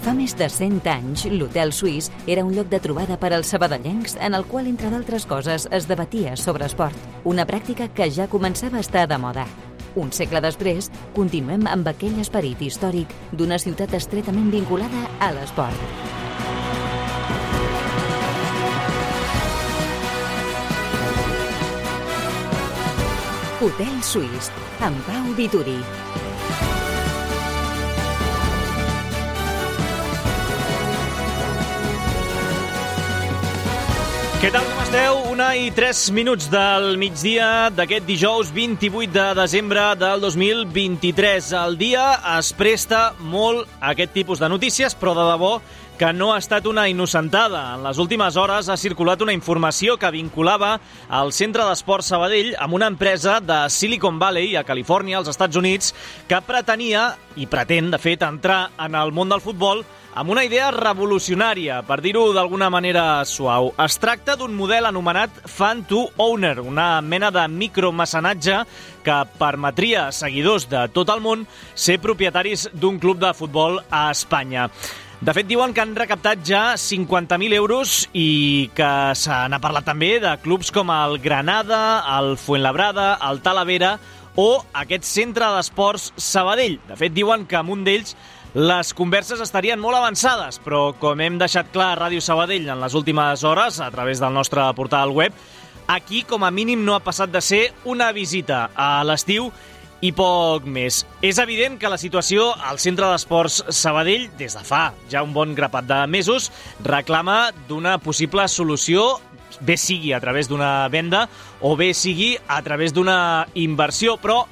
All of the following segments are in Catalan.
Fa més de 100 anys, l'Hotel Suís era un lloc de trobada per als sabadellencs en el qual, entre d'altres coses, es debatia sobre esport. Una pràctica que ja començava a estar de moda. Un segle després, continuem amb aquell esperit històric d'una ciutat estretament vinculada a l'esport. Hotel Suís, amb Pau Vituri. Què tal, com esteu? 1:03 del migdia d'aquest dijous 28 de desembre del 2023. El dia es presta molt a aquest tipus de notícies, però de debò que no ha estat una innocentada. En les últimes hores ha circulat una informació que vinculava el Centre d'Esport Sabadell amb una empresa de Silicon Valley, a Califòrnia, als Estats Units, que pretenia, i pretén, de fet, entrar en el món del futbol amb una idea revolucionària, per dir-ho d'alguna manera suau. Es tracta d'un model anomenat Fan to Owner, una mena de micromecenatge que permetria a seguidors de tot el món ser propietaris d'un club de futbol a Espanya. De fet, diuen que han recaptat ja 50.000 euros i que se n'ha parlat també de clubs com el Granada, el Fuenlabrada, el Talavera o aquest Centre d'Esports Sabadell. De fet, diuen que amb un d'ells les converses estarien molt avançades, però com hem deixat clar a Ràdio Sabadell en les últimes hores, a través del nostre portal web, aquí com a mínim no ha passat de ser una visita a l'estiu i poc més. És evident que la situació al Centre d'Esports Sabadell, des de fa ja un bon grapat de mesos, reclama d'una possible solució, bé sigui a través d'una venda o bé sigui a través d'una inversió, però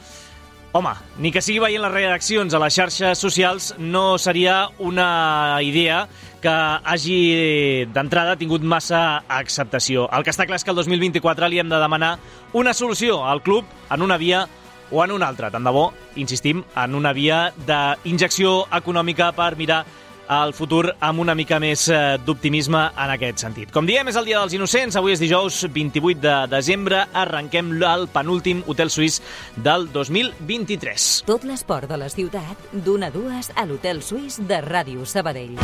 home, ni que sigui veient les reaccions a les xarxes socials no seria una idea que hagi d'entrada tingut massa acceptació. El que està clar és que el 2024 li hem de demanar una solució al club en una via o en una altra. Tant de bo, insistim, en una via d'injecció econòmica per mirar el futur amb una mica més d'optimisme en aquest sentit. Com diem, és el Dia dels Innocents, avui és dijous 28 de desembre, arrenquem el penúltim Hotel Suís del 2023. Tot l'esport de la ciutat, d'1 a 2 a l'Hotel Suís de Ràdio Sabadell.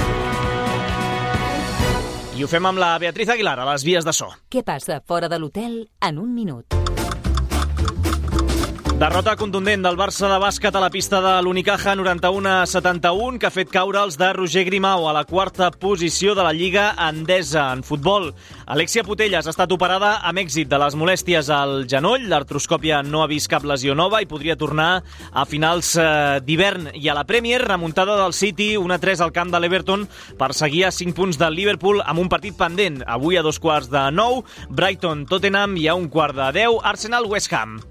I ho fem amb la Beatriz Aguilar, a les vies de so. Què passa fora de l'hotel en un minut? Derrota contundent del Barça de bàsquet a la pista de l'Unicaja 91-71, que ha fet caure els de Roger Grimau a la quarta posició de la Lliga Endesa en futbol. Alexia Putellas ha estat operada amb èxit de les molèsties al genoll. L'artroscòpia no ha vist cap lesió nova i podria tornar a finals d'hivern. I a la Premier, remuntada del City, 1-3 al camp de l'Everton per seguir a 5 punts del Liverpool amb un partit pendent. Avui a 8:45, Brighton-Tottenham i a 1:10, Arsenal-West Ham.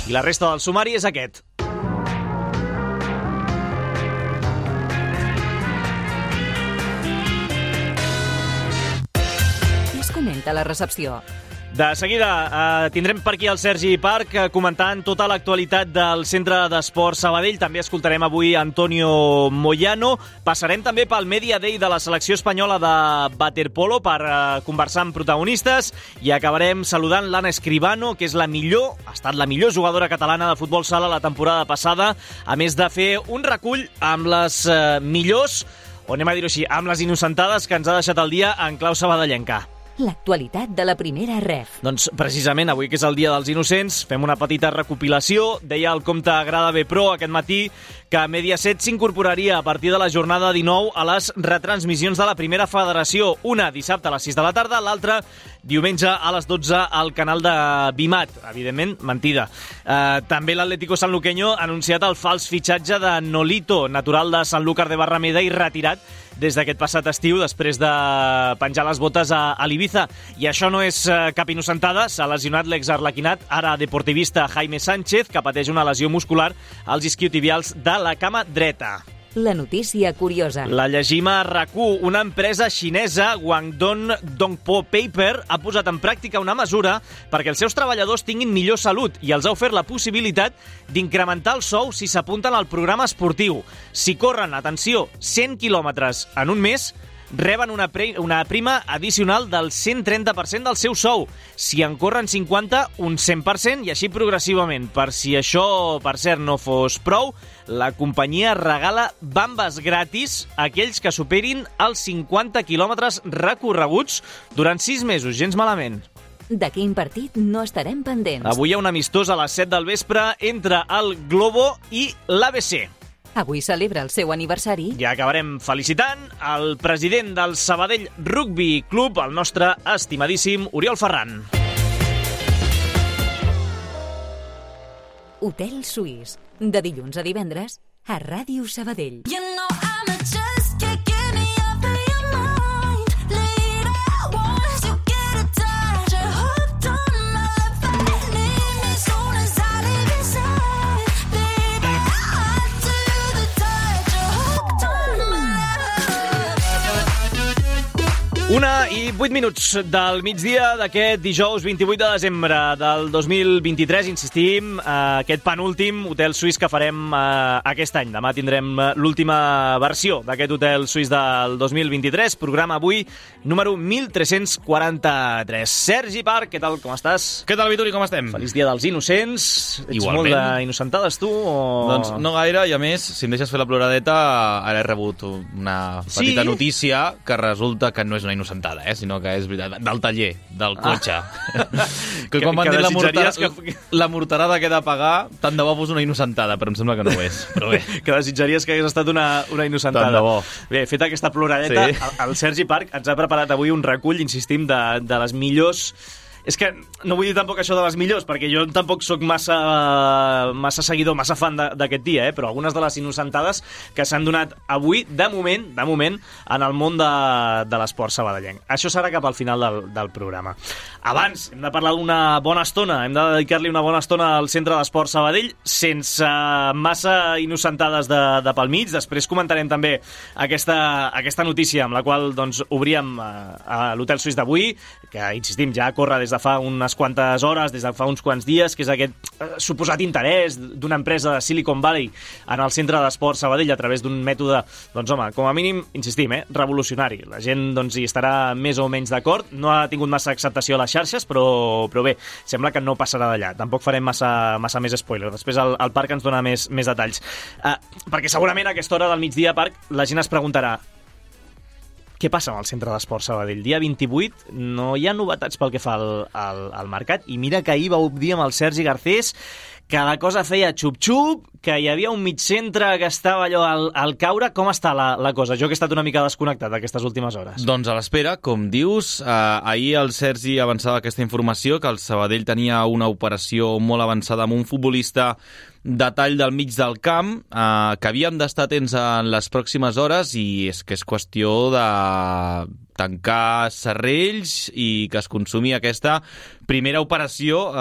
I la resta del sumari és aquest. Què es comenta a la recepció? De seguida tindrem per aquí el Sergi Parc comentant tota l'actualitat del Centre d'Esport Sabadell. També escoltarem avui Antonio Moyano. Passarem també pel Media Day de la selecció espanyola de waterpolo per conversar amb protagonistes i acabarem saludant l'Anna Escribano, que és ha estat la millor jugadora catalana de futbol sala la temporada passada, a més de fer un recull amb les millors, o anem a dir-ho així, amb les innocentades que ens ha deixat el dia en clau sabadellenca. L'actualitat de la primera ref. Doncs precisament avui, que és el Dia dels Innocents, fem una petita recopilació. Deia el compte Agrada Bé Pro aquest matí que Mediaset s'incorporaria a partir de la jornada 19 a les retransmissions de la primera federació. Una dissabte a les 6 de la tarda, l'altra diumenge a les 12 al canal de Bimat. Evidentment, mentida. També l'Atlético Sanluqueño ha anunciat el fals fitxatge de Nolito, natural de Sanlúcar de Barrameda i retirat des d'aquest passat estiu després de penjar les botes a l'Ibiza. I això no és cap innocentada. S'ha lesionat l'exarlequinat, ara deportivista Jaime Sánchez, que pateix una lesió muscular als isquiotibials de la cama dreta. La notícia curiosa. La llegim a RAC1. Una empresa xinesa, Guangdong Dongpo Paper, ha posat en pràctica una mesura perquè els seus treballadors tinguin millor salut i els ha ofert la possibilitat d'incrementar el sou si s'apunten al programa esportiu. Si corren, atenció, 100 quilòmetres en un mes, reben una prima addicional del 130% del seu sou. Si en corren 50, un 100%, i així progressivament. Per si això, per cert, no fos prou, la companyia regala bambes gratis a aquells que superin els 50 quilòmetres recorreguts durant 6 mesos, gens malament. De quin partit no estarem pendents? Avui hi ha un amistós a les 7 del vespre entre el Globo i l'ABC. Avui celebra el seu aniversari. I acabarem felicitant el president del Sabadell Rugby Club, el nostre estimadíssim Oriol Ferran. Hotel Suís, de dilluns a divendres, a Ràdio Sabadell. Una i 8 minuts del migdia d'aquest dijous 28 de desembre del 2023. Insistim, aquest penúltim Hotel Suís que farem aquest any. Demà tindrem l'última versió d'aquest Hotel Suís del 2023. Programa avui número 1343. Sergi Parc, què tal, com estàs? Què tal, Vituri, com estem? Feliç dia dels innocents. Ets Igualment. molt d'innocentades, tu? O... Doncs no gaire, i a més, si em deixes fer la ploradeta, ara he rebut una petita notícia que resulta que no és una innocentada, sinó que és veritat, del taller, del cotxe. Que quan van dir la morterada que he de pagar, tant de bo fos una innocentada, però em sembla que no ho és. Però bé. Que desitjaries que hagués estat una innocentada. Tant de bo. Bé, feta aquesta ploradeta, sí. el Sergi Parc ens ha preparat avui un recull, insistim, de les millors... És que no vull dir tampoc això de les millors, perquè jo tampoc sóc massa seguidor, massa fan d'aquest dia, però algunes de les innocentades que s'han donat avui, de moment, en el món de l'esport sabadellenc. Això serà cap al final del programa. Abans, hem de parlar d'una bona estona, hem de dedicar-li una bona estona al Centre d'Esport Sabadell, sense massa innocentades de pel mig. Després comentarem també aquesta notícia amb la qual doncs, obríem a l'Hotel Suís d'avui, que, insistim, ja corre des de fa unes quantes hores, des de fa uns quants dies, que és aquest suposat interès d'una empresa de Silicon Valley en el Centre d'Esport Sabadell a través d'un mètode, doncs home, com a mínim, insistim, revolucionari. La gent doncs, hi estarà més o menys d'acord. No ha tingut massa acceptació a les xarxes, però bé, sembla que no passarà d'allà. Tampoc farem massa més spoiler. Després el Parc ens dona més detalls. Perquè segurament a aquesta hora del migdia, Parc, la gent es preguntarà: què passa amb el Centre d'Esport Sabadell? Dia 28 no hi ha novetats pel que fa al mercat, i mira que ahir vau dir amb el Sergi Garcés que la cosa feia xup-xup, que hi havia un mig centre que estava allò al caure. Com està la cosa? Jo que he estat una mica desconnectat aquestes últimes hores. Doncs a l'espera, com dius, ahir el Sergi avançava aquesta informació, que el Sabadell tenia una operació molt avançada amb un futbolista de tall del mig del camp, que havíem d'estar atents en les pròximes hores, i és que és qüestió de tancar serrells i que es consumi aquesta primera operació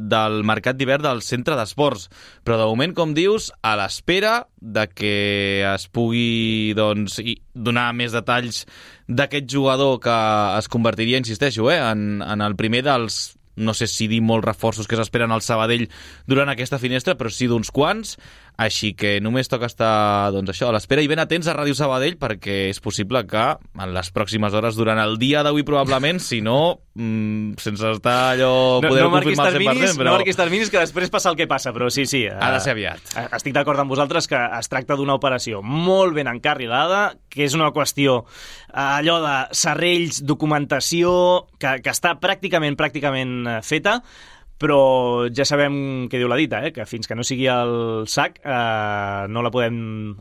del mercat d'hivern del centre d'esports. Però de moment, com dius, a l'espera de que es pugui donar més detalls d'aquest jugador que es convertiria, insisteixo, en el primer dels, no sé si dir molts reforços que s'esperen al Sabadell durant aquesta finestra, però sí d'uns quants. Així que només toca estar a l'espera i ben atents a Ràdio Sabadell, perquè és possible que en les pròximes hores, durant el dia d'avui probablement, si no, sense estar allò poder confirmar al 100%. No marquis terminis, que després passa el que passa, però sí. Ha de ser aviat. Estic d'acord amb vosaltres que es tracta d'una operació molt ben encarrilada, que és una qüestió allò de serrells, documentació, que està pràcticament feta, però ja sabem què diu la dita, que fins que no sigui el sac no la podem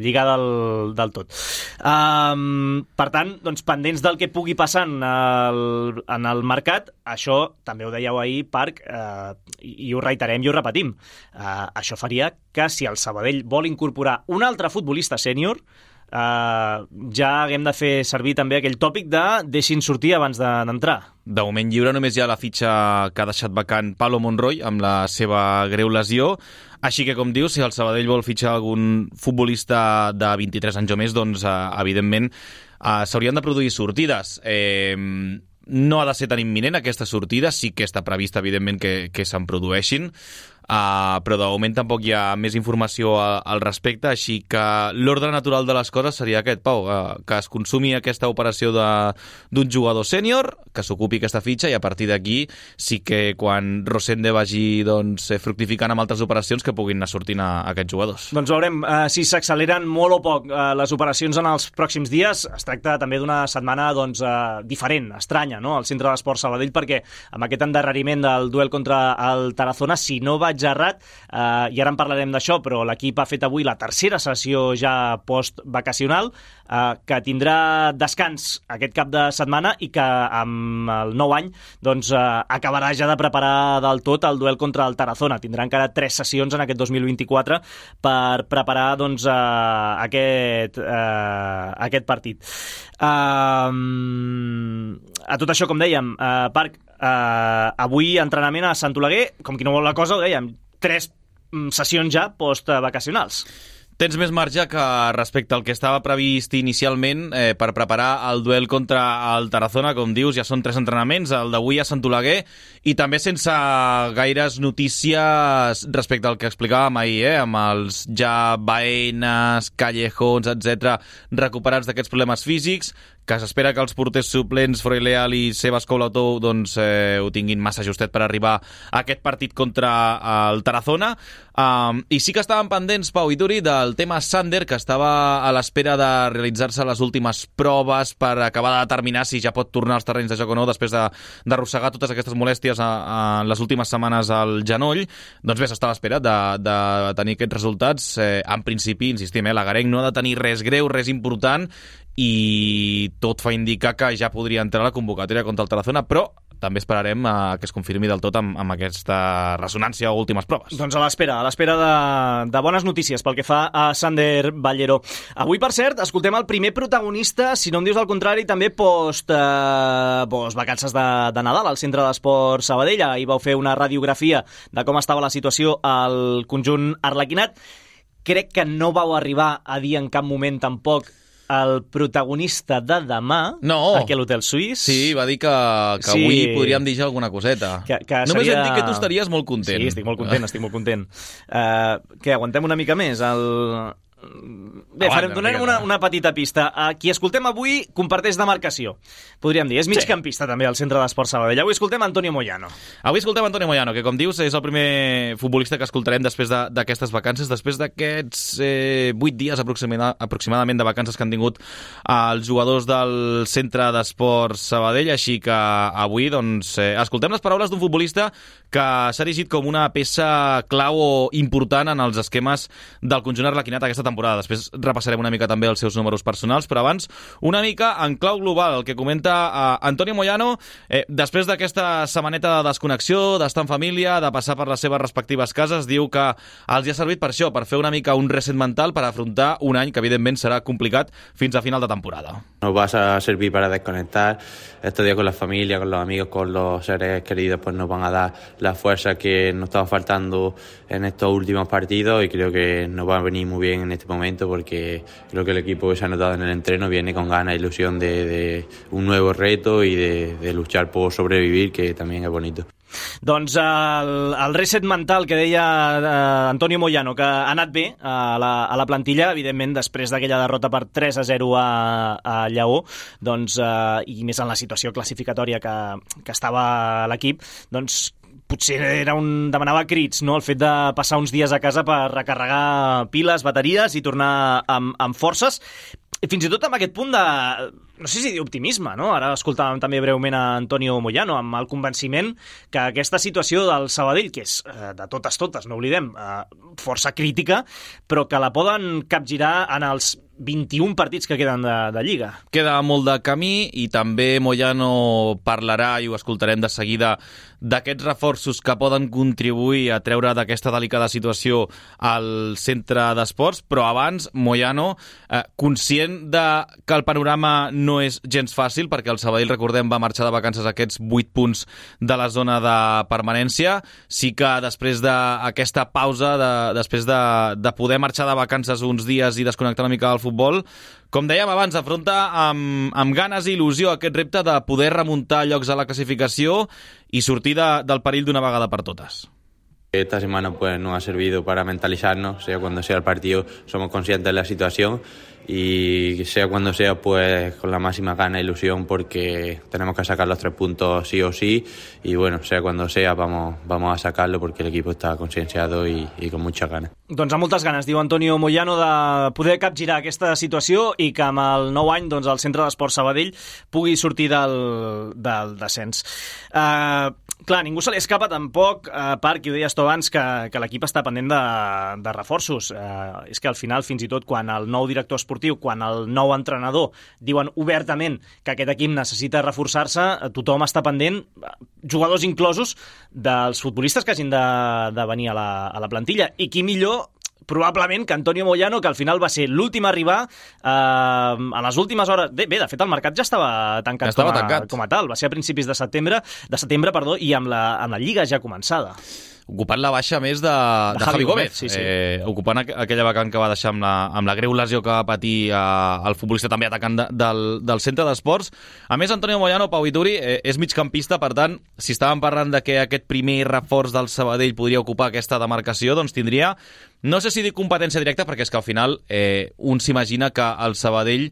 lligar del tot. Per tant, doncs, pendents del que pugui passar en el mercat. Això també ho dèieu ahir, Parc, i ho reiterem i ho repetim. Això faria que si el Sabadell vol incorporar un altre futbolista sènior, ja haguem de fer servir també aquell tòpic de deixin sortir abans d'entrar. De moment lliure només hi ha la fitxa que ha deixat vacant Palo Monroy amb la seva greu lesió, així que, com dius, si el Sabadell vol fitxar algun futbolista de 23 anys o més, doncs evidentment s'haurien de produir sortides. No ha de ser tan imminent aquesta sortida, sí que està prevista evidentment que se'n produeixin. però de moment tampoc hi ha més informació al respecte, així que l'ordre natural de les coses seria aquest, Pau, que es consumi aquesta operació d'un jugador sènior, que s'ocupi aquesta fitxa, i a partir d'aquí sí que quan Rosende vagi fructificant amb altres operacions que puguin anar sortint aquests jugadors. Doncs veurem si s'acceleren molt o poc les operacions en els pròxims dies. Es tracta també d'una setmana diferent, estranya, no?, al Centre d'Esport Sabadell, perquè amb aquest endarreriment del duel contra el Tarazona, si no vaig errat, i ara en parlarem d'això, però l'equip ha fet avui la tercera sessió ja post-vacacional, que tindrà descans aquest cap de setmana i que amb el nou any acabarà ja de preparar del tot el duel contra el Tarazona. Tindrà encara 3 sessions en aquest 2024 per preparar aquest partit. A tot això, com dèiem, Parc, avui entrenament a Sant Oleguer, com qui no vol la cosa, ho dèiem, 3 sessions ja post-vacacionals. Tens més marge que respecte al que estava previst inicialment per preparar el duel contra el Tarazona, com dius, ja són 3 entrenaments, el d'avui a Sant Oleguer, i també sense gaires notícies respecte al que explicàvem ahir, amb els ja Baenas, Callejons, etc., recuperats d'aquests problemes físics, que s'espera que els porters suplents Froileal i Sebas Coulató ho tinguin massa justet per arribar a aquest partit contra el Tarazona. I sí que estaven pendents, Pau i Turi, del tema Sander, que estava a l'espera de realitzar-se les últimes proves per acabar de determinar si ja pot tornar als terrenys de joc o no després d'arrossegar totes aquestes molèsties en les últimes setmanes al genoll. Doncs bé, s'estava a l'espera de tenir aquests resultats. En principi, insistim, l'Agarenc no ha de tenir res greu, res important, i tot fa indicar que ja podria entrar a la convocatòria contra el Tarazona, però també esperarem que es confirmi del tot amb aquesta ressonància o últimes proves. Doncs a l'espera de bones notícies pel que fa a Sander Ballero. Avui, per cert, escoltem el primer protagonista, si no em dius el contrari, també post-vacances de Nadal al Centre d'Esport Sabadell. Ahir vau fer una radiografia de com estava la situació al conjunt arlequinat. Crec que no vau arribar a dir en cap moment tampoc el protagonista de demà, aquí a l'Hotel Suís. Sí, va dir que avui podríem dir ja alguna coseta. Només hem dit que tu estaries molt content. Sí, estic molt content. Què, aguantem una mica més? Bé, donem una petita pista. Qui escoltem avui comparteix demarcació, podríem dir. És migcampista també al Centre d'Esport Sabadell. Avui escoltem Antonio Moyano. Que com dius és el primer futbolista que escoltarem després d'aquestes vacances, després d'aquests 8 dies aproximadament de vacances que han tingut els jugadors del Centre d'Esport Sabadell. Així que avui escoltem les paraules d'un futbolista que s'ha erigit com una peça clau o important en els esquemes del conjunt arlequinat aquesta temporada. Després repassarem una mica també els seus números personals, però abans una mica en clau global, el que comenta Antonio Moyano després d'aquesta setmaneta de desconnexió, d'estar en família, de passar per les seves respectives cases. Diu que els ha servit per això, per fer una mica un reset mental per afrontar un any que evidentment serà complicat fins a final de temporada. Nos va a servir para desconectar. Estos días con la familia, con los amigos, con los seres queridos, pues nos van a dar la fuerza que nos estaba faltando en estos últimos partidos, y creo que nos va a venir muy bien en este momento, porque creo que el equipo que se ha notado en el entreno viene con ganas e ilusión de un nuevo reto y de luchar por sobrevivir, que también es bonito. Doncs el reset mental que deia Antonio Moyano, que ha anat bé a la plantilla, evidentment després d'aquella derrota per 3-0 a Lleó, i més en la situació classificatòria que estava l'equip, doncs potser demanava crits, no?, el fet de passar uns dies a casa per recarregar piles, bateries i tornar amb forces. Fins i tot amb aquest punt de, no sé si dir optimisme, no? Ara escoltàvem també breument a Antonio Moyano, amb el convenciment que aquesta situació del Sabadell, que és de totes, no oblidem, força crítica, però que la poden capgirar en els 21 partits que queden de Lliga. Queda molt de camí, i també Moyano parlarà, i ho escoltarem de seguida, d'aquests reforços que poden contribuir a treure d'aquesta delicada situació al Centre d'Esports, però abans Moyano, conscient de que el panorama no és gens fàcil, perquè el Sabadell, recordem, va marxar de vacances aquests 8 punts de la zona de permanència. Sí que després d'aquesta pausa, després de poder marxar de vacances uns dies i desconnectar una mica del futbol, com dèiem abans, afronta amb ganes i il·lusió aquest repte de poder remuntar llocs a la classificació i sortir del perill d'una vegada per totes. Esta semana pues nos ha servido para mentalizarnos, sea cuando sea el partido, somos conscientes de la situación y sea cuando sea, pues con la máxima gana e ilusión, porque tenemos que sacar los 3 puntos sí o sí, y bueno, sea cuando sea vamos a sacarlo porque el equipo está concienciado i con mucha ganas. Doncs amb moltes ganes, diu Antonio Moyano, de poder capgirar aquesta situació i que amb el nou any doncs, el Centre d'Esports Sabadell pugui sortir del descens. Clar, ningú se li escapa tampoc, Parc, i ho deies tu abans, que l'equip està pendent de reforços. És que al final, fins i tot quan el nou director esportiu, quan el nou entrenador diuen obertament que aquest equip necessita reforçar-se, tothom està pendent, jugadors inclosos, dels futbolistes que hagin de venir a la plantilla. I qui millor probablement que Antonio Moyano, que al final va ser l'últim a arribar a les últimes hores. Bé, de fet, el mercat ja estava tancat, com a tal. Va ser a principis de setembre, i amb la Lliga ja començada. Ocupant la baixa més de Javi Gómez. Sí. Ocupant aquella vacant que va deixar amb la greu lesió que va patir el futbolista també atacant del Centre d'Esports. A més, Antonio Moyano, Pau Vituri, és migcampista, per tant, si estàvem parlant de que aquest primer reforç del Sabadell podria ocupar aquesta demarcació, doncs tindria, no sé si dic competència directa, perquè és que al final un s'imagina que el Sabadell,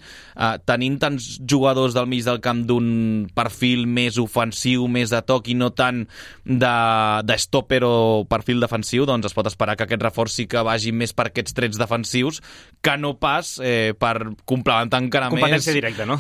tenint tants jugadors del mig del camp d'un perfil més ofensiu, més de toc i no tant d'estòper o perfil defensiu, doncs es pot esperar que aquest reforç sí que vagi més per aquests trets defensius que no pas per complementar encara més... Competència directa, no?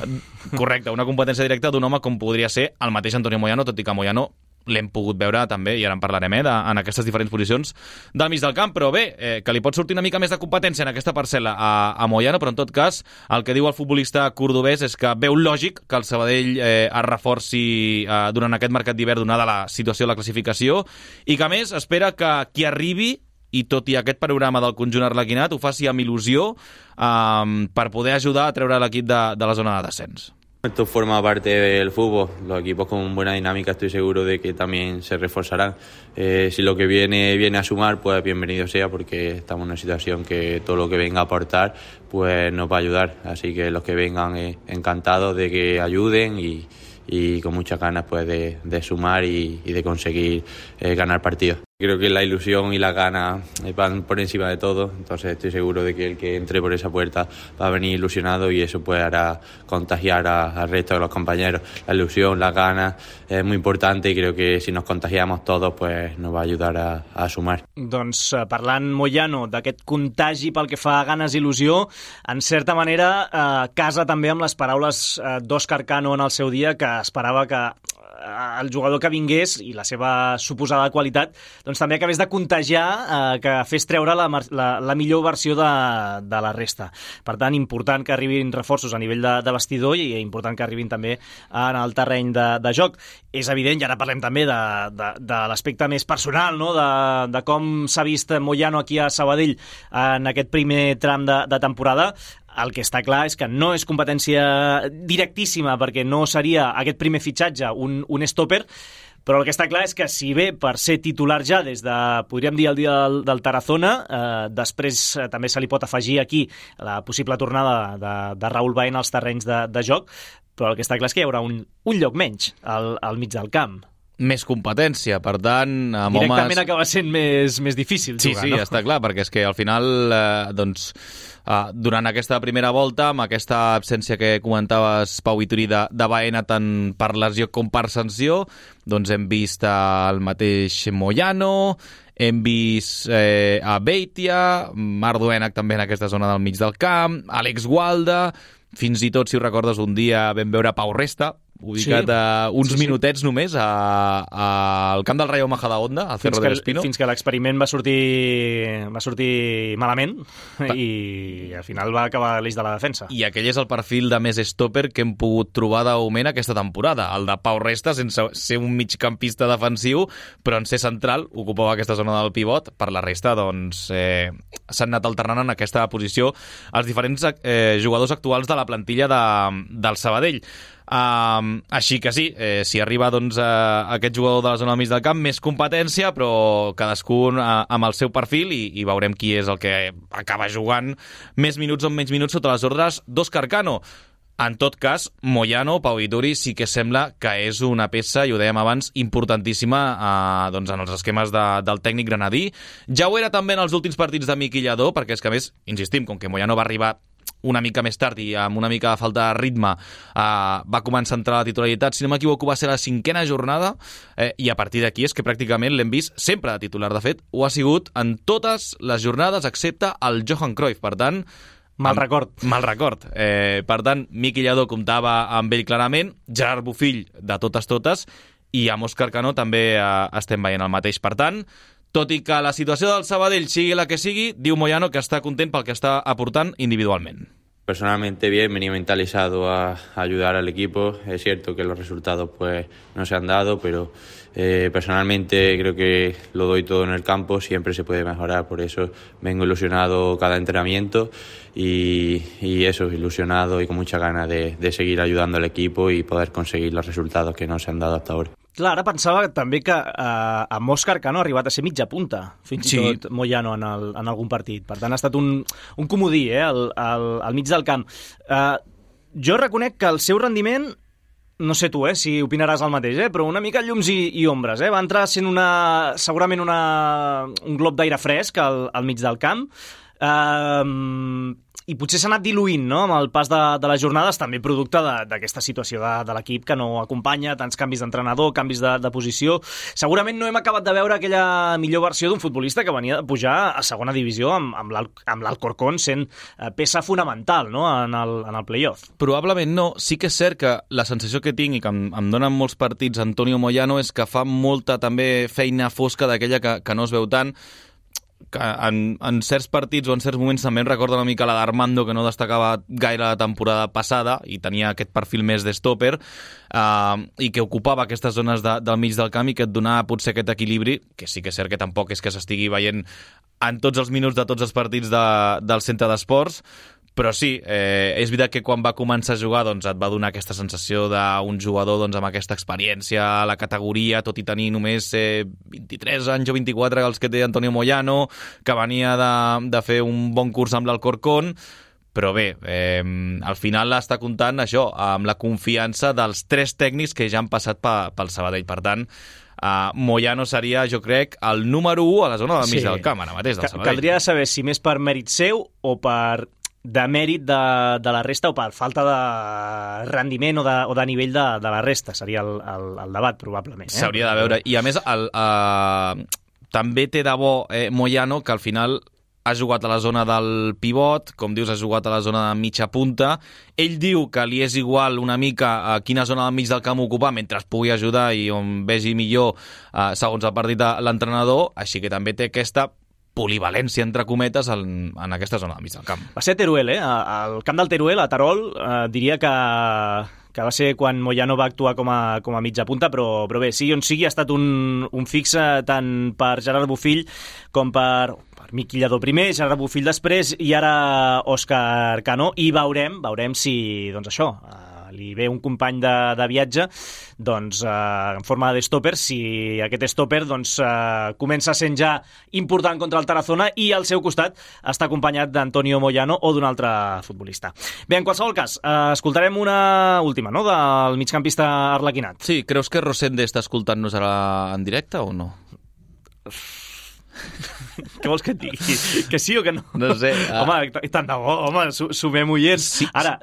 Correcte, una competència directa d'un home com podria ser el mateix Antonio Moyano, tot i que Moyano l'hem pogut veure també, i ara en parlarem, en aquestes diferents posicions del mig del camp, però bé, que li pot sortir una mica més de competència en aquesta parcel·la a Moyano, però en tot cas el que diu el futbolista cordobès és que veu lògic que el Sabadell es reforci durant aquest mercat d'hivern donada la situació de la classificació, i que a més espera que qui arribi, i tot i aquest panorama del conjunt arlequinat, ho faci amb il·lusió per poder ajudar a treure l'equip de la zona de descens. Esto forma parte del fútbol. Los equipos con buena dinámica estoy seguro de que también se reforzarán. Si lo que viene a sumar, pues bienvenido sea, porque estamos en una situación que todo lo que venga a aportar pues nos va a ayudar. Así que los que vengan, encantados de que ayuden y con muchas ganas pues de sumar y de conseguir ganar partidos. Creo que la ilusión y la gana van por encima de todo, entonces estoy seguro de que el que entre por esa puerta va a venir ilusionado y eso pues hará contagiar al resto de los compañeros. La ilusión, la gana es muy importante y creo que si nos contagiamos todos pues nos va a ayudar a sumar. Doncs parlant, Moyano, d'aquest contagi pel que fa a ganes i il·lusió, en certa manera casa també amb les paraules d'Òscar Cano en el seu dia, que esperava que el jugador que vingués i la seva suposada qualitat doncs també acabés de contagiar, que fes treure la millor versió de la resta. Per tant, important que arribin reforços a nivell de vestidor i important que arribin també en el terreny de joc. És evident, i ara parlem també de l'aspecte més personal, no? de com s'ha vist Moyano aquí a Sabadell en aquest primer tram de temporada. El que està clar és que no és competència directíssima, perquè no seria aquest primer fitxatge un stopper, però el que està clar és que si bé per ser titular ja des de, podríem dir, el dia del Tarazona, després també se li pot afegir aquí la possible tornada de Raúl Baena als terrenys de joc, però el que està clar és que hi haurà un lloc menys al mig del camp. Més competència, per tant... Directament acaba sent més difícil jugar, sí, no? Està clar, perquè és que al final, durant aquesta primera volta, amb aquesta absència que comentaves, Pau Vituri, de Baena, tant per lesió com per sanció, doncs hem vist el mateix Moyano, hem vist a Beitia, Marc Duenac també en aquesta zona del mig del camp, Àlex Gualda, fins i tot, si ho recordes, un dia vam veure Pau Resta, ubicat uns minutets només al camp del Rayo Majadahonda, al Cerro del Espino. Fins que l'experiment va sortir malament i al final va acabar l'eix de la defensa. I aquell és el perfil de més stopper que hem pogut trobar d'augment aquesta temporada. El de Pau Resta, sense ser un migcampista defensiu, però en ser central, ocupava aquesta zona del pivot. Per la resta, doncs, s'han anat alternant en aquesta posició els diferents jugadors actuals de la plantilla del Sabadell. Així que sí, si arriba doncs, aquest jugador de la zona del mig del camp, més competència, però cadascun amb el seu perfil i veurem qui és el que acaba jugant més minuts o menys minuts sota les ordres d'Òscar Cano. En tot cas, Moyano, Pau Vituri, sí que sembla que és una peça, i ho dèiem abans, importantíssima doncs en els esquemes del tècnic granadí. Ja ho era també en els últims partits de Miqui Lladó, perquè és que, a més, insistim, com que Moyano va arribar una mica més tard i amb una mica de falta de ritme va començar a entrar a la titularitat, si no m'equivoco va ser la 5ª jornada, i a partir d'aquí és que pràcticament l'hem vist sempre de titular. De fet, ho ha sigut en totes les jornades excepte el Johan Cruyff, per tant Mal record. Per tant, Miqui Lladó comptava amb ell clarament, Gerard Bofill de totes, i amb Òscar Canó també estem veient el mateix. Per tant, tot i que la situació del Sabadell sigui la que sigui, diu Moyano que està content pel que està aportant individualment. Personalmente bien, venía mentalizado a ayudar al equipo. Es cierto que los resultados pues no se han dado, pero personalmente creo que lo doy todo en el campo, siempre se puede mejorar, por eso vengo ilusionado cada entrenamiento y eso, ilusionado y con mucha ganas de seguir ayudando al equipo y poder conseguir los resultados que no se han dado hasta ahora. Clar, ara pensava també que amb Òscar Canó ha arribat a ser mitja punta, fins i tot Moyano en algun partit. Per tant, ha estat un comodí al mig del camp. Jo reconec que el seu rendiment, no sé tu, si opinaràs el mateix, però una mica llums i ombres. Va entrar sent segurament un glob d'aire fresc al mig del camp, i potser s'ha anat diluint, no?, amb el pas de les jornades, també producte d'aquesta situació de l'equip que no acompanya, tants canvis d'entrenador, canvis de posició. Segurament no hem acabat de veure aquella millor versió d'un futbolista que venia de pujar a segona divisió amb l'Alcorcón sent peça fonamental, no?, en el play-off. Probablement no. Sí que és cert que la sensació que tinc i que em donen molts partits Antonio Moyano és que fa molta també feina fosca d'aquella que no es veu tant, que en certs partits o en certs moments també em recorda una mica la d'Armando, que no destacava gaire la temporada passada i tenia aquest perfil més d'estòper, i que ocupava aquestes zones del mig del camp i que et donava potser aquest equilibri, que sí que és cert que tampoc és que s'estigui veient en tots els minuts de tots els partits del centre d'esports, però sí, és veritat que quan va començar a jugar doncs, et va donar aquesta sensació d'un jugador doncs, amb aquesta experiència a la categoria, tot i tenir només 23 anys o 24 els que té Antonio Moyano, que venia de fer un bon curs amb l'Alcorcón, però bé, al final està comptant això, amb la confiança dels 3 tècnics que ja han passat pel Sabadell. Per tant, Moyano seria, jo crec, el número 1 a la zona del mig del camp, ara mateix, del Sabadell. Caldria saber si més per mèrit seu o per demèrit de la resta o per falta de rendiment o de nivell de la resta. Seria el debat, probablement. S'hauria de veure. I a més, també té de bo Moyano, que al final ha jugat a la zona del pivot, com dius, ha jugat a la zona de mitja punta. Ell diu que li és igual una mica a quina zona del mig del camp ocupar mentre es pugui ajudar i on vegi millor segons el partit de l'entrenador, així que també té aquesta polivalència, entre cometes, en aquesta zona del mig del camp. Va ser a Teruel, al camp del Teruel, a Terol, diria que va ser quan Moyano va actuar com a mitja punta, però bé, sigui on sigui, ha estat un fixe tant per Gerard Bofill com per Miqui Lladó primer, Gerard Bofill després i ara Òscar Canó, i veurem si, doncs això, li ve un company de viatge doncs, en forma d'estòper, si aquest estòper doncs, comença sent ja important contra el Tarazona i al seu costat està acompanyat d'Antonio Moyano o d'un altre futbolista. Bé, en qualsevol cas, escoltarem una última, no?, del migcampista arlequinat. Sí, creus que Rosende està escoltant-nos ara en directe o no? Què vols que et digui? Que sí o que no? No sé. Home, tant de bo, home, sumem oients. Sí. Ara,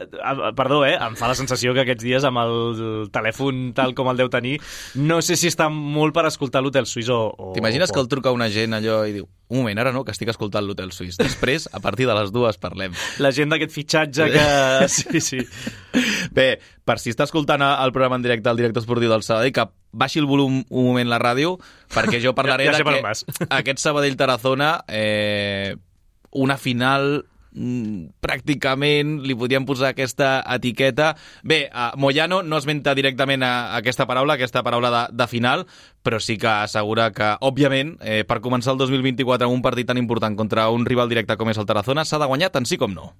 perdó, em fa la sensació que aquests dies amb el telèfon tal com el deu tenir, no sé si està molt per escoltar l'Hotel Suís o... T'imagines que el truca una gent allò i diu un moment, ara no, que estic escoltant l'Hotel Suís. Després, a partir de les 2 parlem. La gent d'aquest fitxatge que... Sí. Bé, per si està escoltant el programa en directe, el director esportiu del Sabadell, que baixi el volum un moment la ràdio, perquè jo parlaré de que aquest Sabadell-Tarazona, una final pràcticament li podríem posar aquesta etiqueta. Bé, Moyano no esmenta directament aquesta paraula de final, però sí que assegura que, òbviament, per començar el 2024 en un partit tan important contra un rival directe com és el Tarazona, s'ha de guanyar tant sí com no.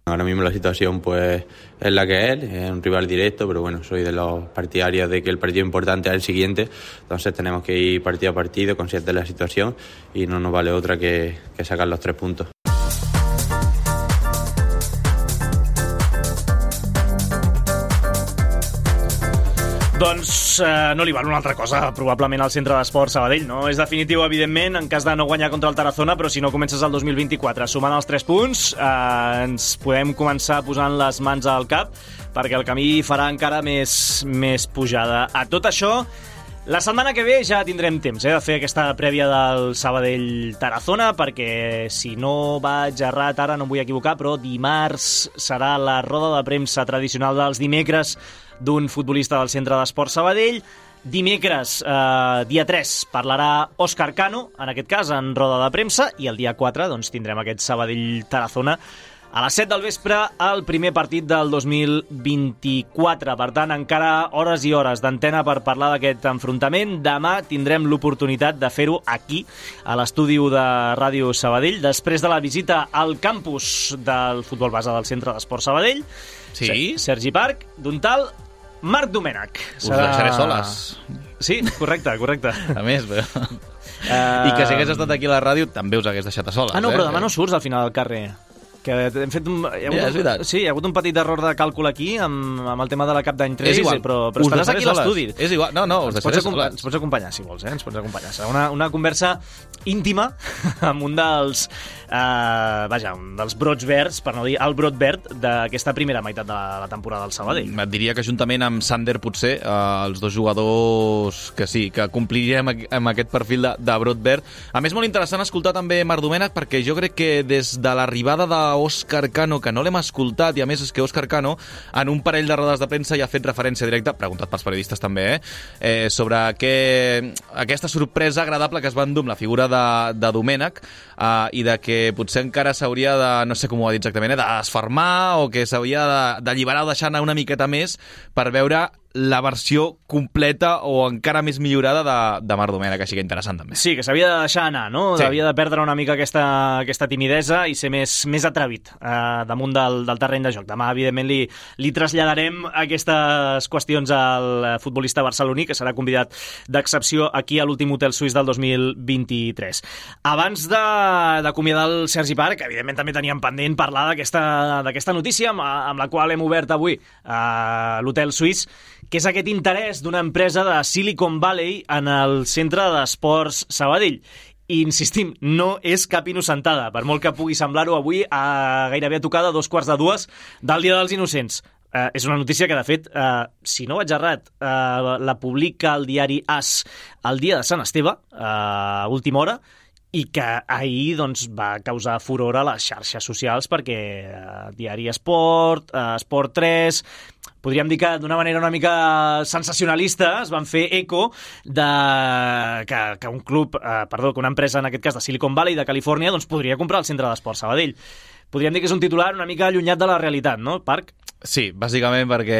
Ahora mismo la situación pues es la que es un rival directo, pero bueno, soy de los partidarios de que el partido importante es el siguiente, entonces tenemos que ir partido a partido, conscientes de la situación y no nos vale otra que sacar los 3 puntos. Doncs no li val una altra cosa, probablement al centre d'esport Sabadell, no? És definitiu, evidentment, en cas de no guanyar contra el Tarazona, però si no comences el 2024 sumant els 3 punts, ens podem començar posant les mans al cap, perquè el camí farà encara més pujada. A tot això, la setmana que ve ja tindrem temps de fer aquesta prèvia del Sabadell-Tarazona, perquè si no vaig errat, ara no em vull equivocar, però dimarts serà la roda de premsa tradicional dels dimecres d'un futbolista del centre d'esport Sabadell. Dimecres, dia 3, parlarà Òscar Cano, en aquest cas, en roda de premsa, i el dia 4 doncs, tindrem aquest Sabadell-Tarazona a les 7 del vespre, el primer partit del 2024. Per tant, encara hores i hores d'antena per parlar d'aquest enfrontament. Demà tindrem l'oportunitat de fer-ho aquí, a l'estudi de Ràdio Sabadell, després de la visita al campus del futbol base del Centre d'Esport Sabadell. Sí? Sergi Parc, d'un tal Marc Domènech. Us deixaré soles. Sí, correcte. A més, però... I que si hagués estat aquí a la ràdio també us hagués deixat a soles. No, però demà no surts al final del carrer. Que hem fet és veritat. Sí, hi ha hagut un petit error de càlcul aquí amb el tema de la cap d'any 3, és igual. però estaràs aquí a l'estudi. És igual, no, us deixaré soles. Ens pots acompanyar, si vols, ens pots acompanyar. Serà una conversa íntima amb un dels un dels brots verds, per no dir el brot verd, d'aquesta primera meitat de la temporada del Sabadell. Et diria que juntament amb Sander, potser, els dos jugadors que sí, que complirem amb aquest perfil de brot verd. A més, molt interessant escoltar també Marc Domènech, perquè jo crec que des de l'arribada d'Òscar Cano, que no l'hem escoltat, i a més és que Òscar Cano, en un parell de rodes de premsa ja ha fet referència directa, preguntat pels periodistes també, sobre aquesta sorpresa agradable que es va endur amb la figura de Domènech, i de que potser encara s'hauria de, no sé com ho ha dit exactament, d'esfermar, o que s'hauria d'alliberar o deixar anar una miqueta més per veure la versió completa o encara més millorada de Marc Domènech, així que interessant també. Sí, que s'havia de deixar anar, no? Sí. Havia de perdre una mica aquesta timidesa i ser més atrevit damunt del terreny de joc. Demà, evidentment, li traslladarem aquestes qüestions al futbolista barceloní, que serà convidat d'excepció aquí a l'últim hotel suís del 2023. Abans d'acomiadar el Sergi Parc, evidentment també teníem pendent parlar d'aquesta notícia amb la qual hem obert avui l'hotel suís, que és aquest interès d'una empresa de Silicon Valley en el centre d'esports Sabadell. I insistim, no és cap innocentada, per molt que pugui semblar-ho avui gairebé a tocar de 2:15 del Dia dels Innocents. És una notícia que, de fet, si no vaig errat, la publica el diari AS el dia de Sant Esteve, a última hora, i que ahir doncs, va causar furor a les xarxes socials perquè diari Esport, Esport 3... Podríem dir que d'una manera una mica sensacionalista es van fer eco que un club, que una empresa, en aquest cas de Silicon Valley de Califòrnia, doncs podria comprar el centre d'esport Sabadell. Podríem dir que és un titular una mica allunyat de la realitat, no, Parc? Sí, bàsicament perquè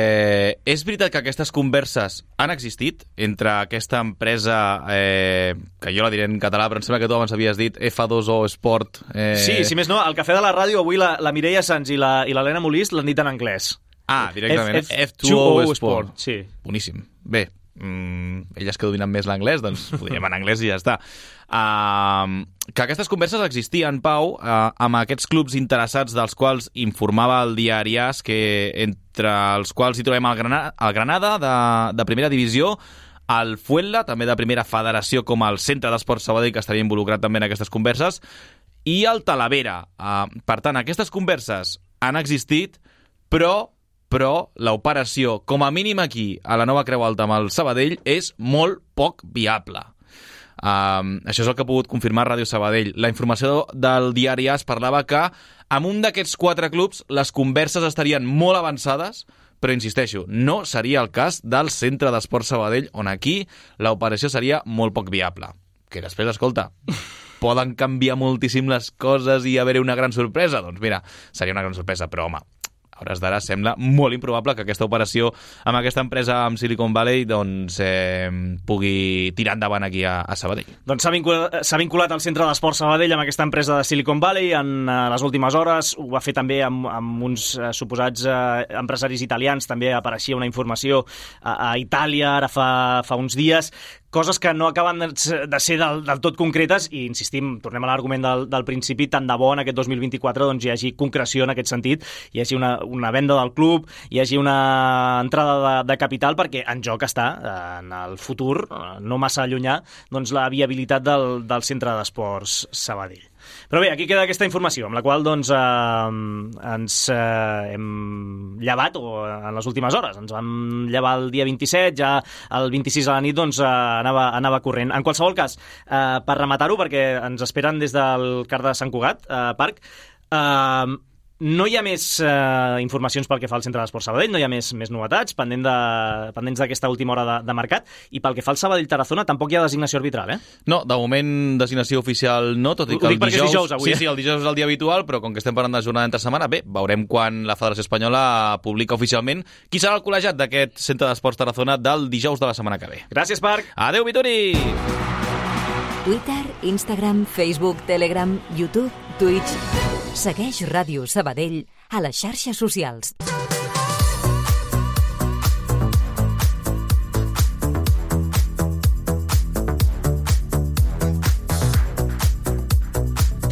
és veritat que aquestes converses han existit entre aquesta empresa, que jo la diré en català, però em sembla que tu abans havies dit F2O Sport. Sí, si més no, al cafè de la ràdio avui la Mireia Sans i l'Helena Molist l'han dit en anglès. Directament. F2O Sport. Sí. Boníssim. Bé, elles que dominen més l'anglès, doncs ho diem en anglès i ja està. Que aquestes converses existien, Pau, amb aquests clubs interessats dels quals informava el diari AS, que entre els quals hi trobem el Granada, de primera divisió, el Fuenla, també de primera federació, com el Centre d'Esport Sabadell, que estaria involucrat també en aquestes converses, i el Talavera. Per tant, aquestes converses han existit, però l'operació, com a mínim aquí, a la Nova Creu Alta amb el Sabadell, és molt poc viable. Això és el que ha pogut confirmar Ràdio Sabadell. La informació del diari AS parlava que amb un d'aquests 4 clubs les converses estarien molt avançades, però insisteixo, no seria el cas del Centre d'Esport Sabadell, on aquí l'operació seria molt poc viable. Que després, escolta, poden canviar moltíssim les coses i haver-hi una gran sorpresa? Doncs mira, seria una gran sorpresa, però home, a hores d'ara sembla molt improbable que aquesta operació amb aquesta empresa, amb Silicon Valley, doncs pugui tirar endavant aquí a Sabadell. Doncs s'ha vinculat al Centre d'Esport Sabadell amb aquesta empresa de Silicon Valley en les últimes hores. Ho va fer també amb uns suposats empresaris italians. També apareixia una informació a Itàlia ara fa uns dies. coses que no acaben de ser del tot concretes i, insistim, tornem a l'argument del principi, tant de bo en aquest 2024 doncs, hi hagi concreció en aquest sentit, hi hagi una venda del club, hi hagi una entrada de capital, perquè en joc està, en el futur, no massa allunyà, doncs, la viabilitat del Centre d'Esports Sabadell. Però bé, aquí queda aquesta informació, amb la qual doncs, ens hem llevat, o en les últimes hores, ens vam llevar el dia 27, ja el 26 a la nit doncs, anava corrent. En qualsevol cas, per rematar-ho, perquè ens esperen des del CAR de Sant Cugat, Parc, no hi ha més informacions pel que fa al Centre d'Esports Sabadell, no hi ha més novetats pendents d'aquesta última hora de mercat, i pel que fa al Sabadell-Tarazona tampoc hi ha designació arbitral, eh? No, de moment designació oficial no, tot i que el dijous avui. Sí, el dijous és el dia habitual, però com que estem parlant de jornada entre setmana, bé, veurem quan la Federació Espanyola publica oficialment qui serà el col·legiat d'aquest Centre d'Esports Tarazona del dijous de la setmana que ve. Gràcies, Parc. Adéu, Vituri! Twitter, Instagram, Facebook, Telegram, YouTube, Twitch. Segueix Ràdio Sabadell a les xarxes socials.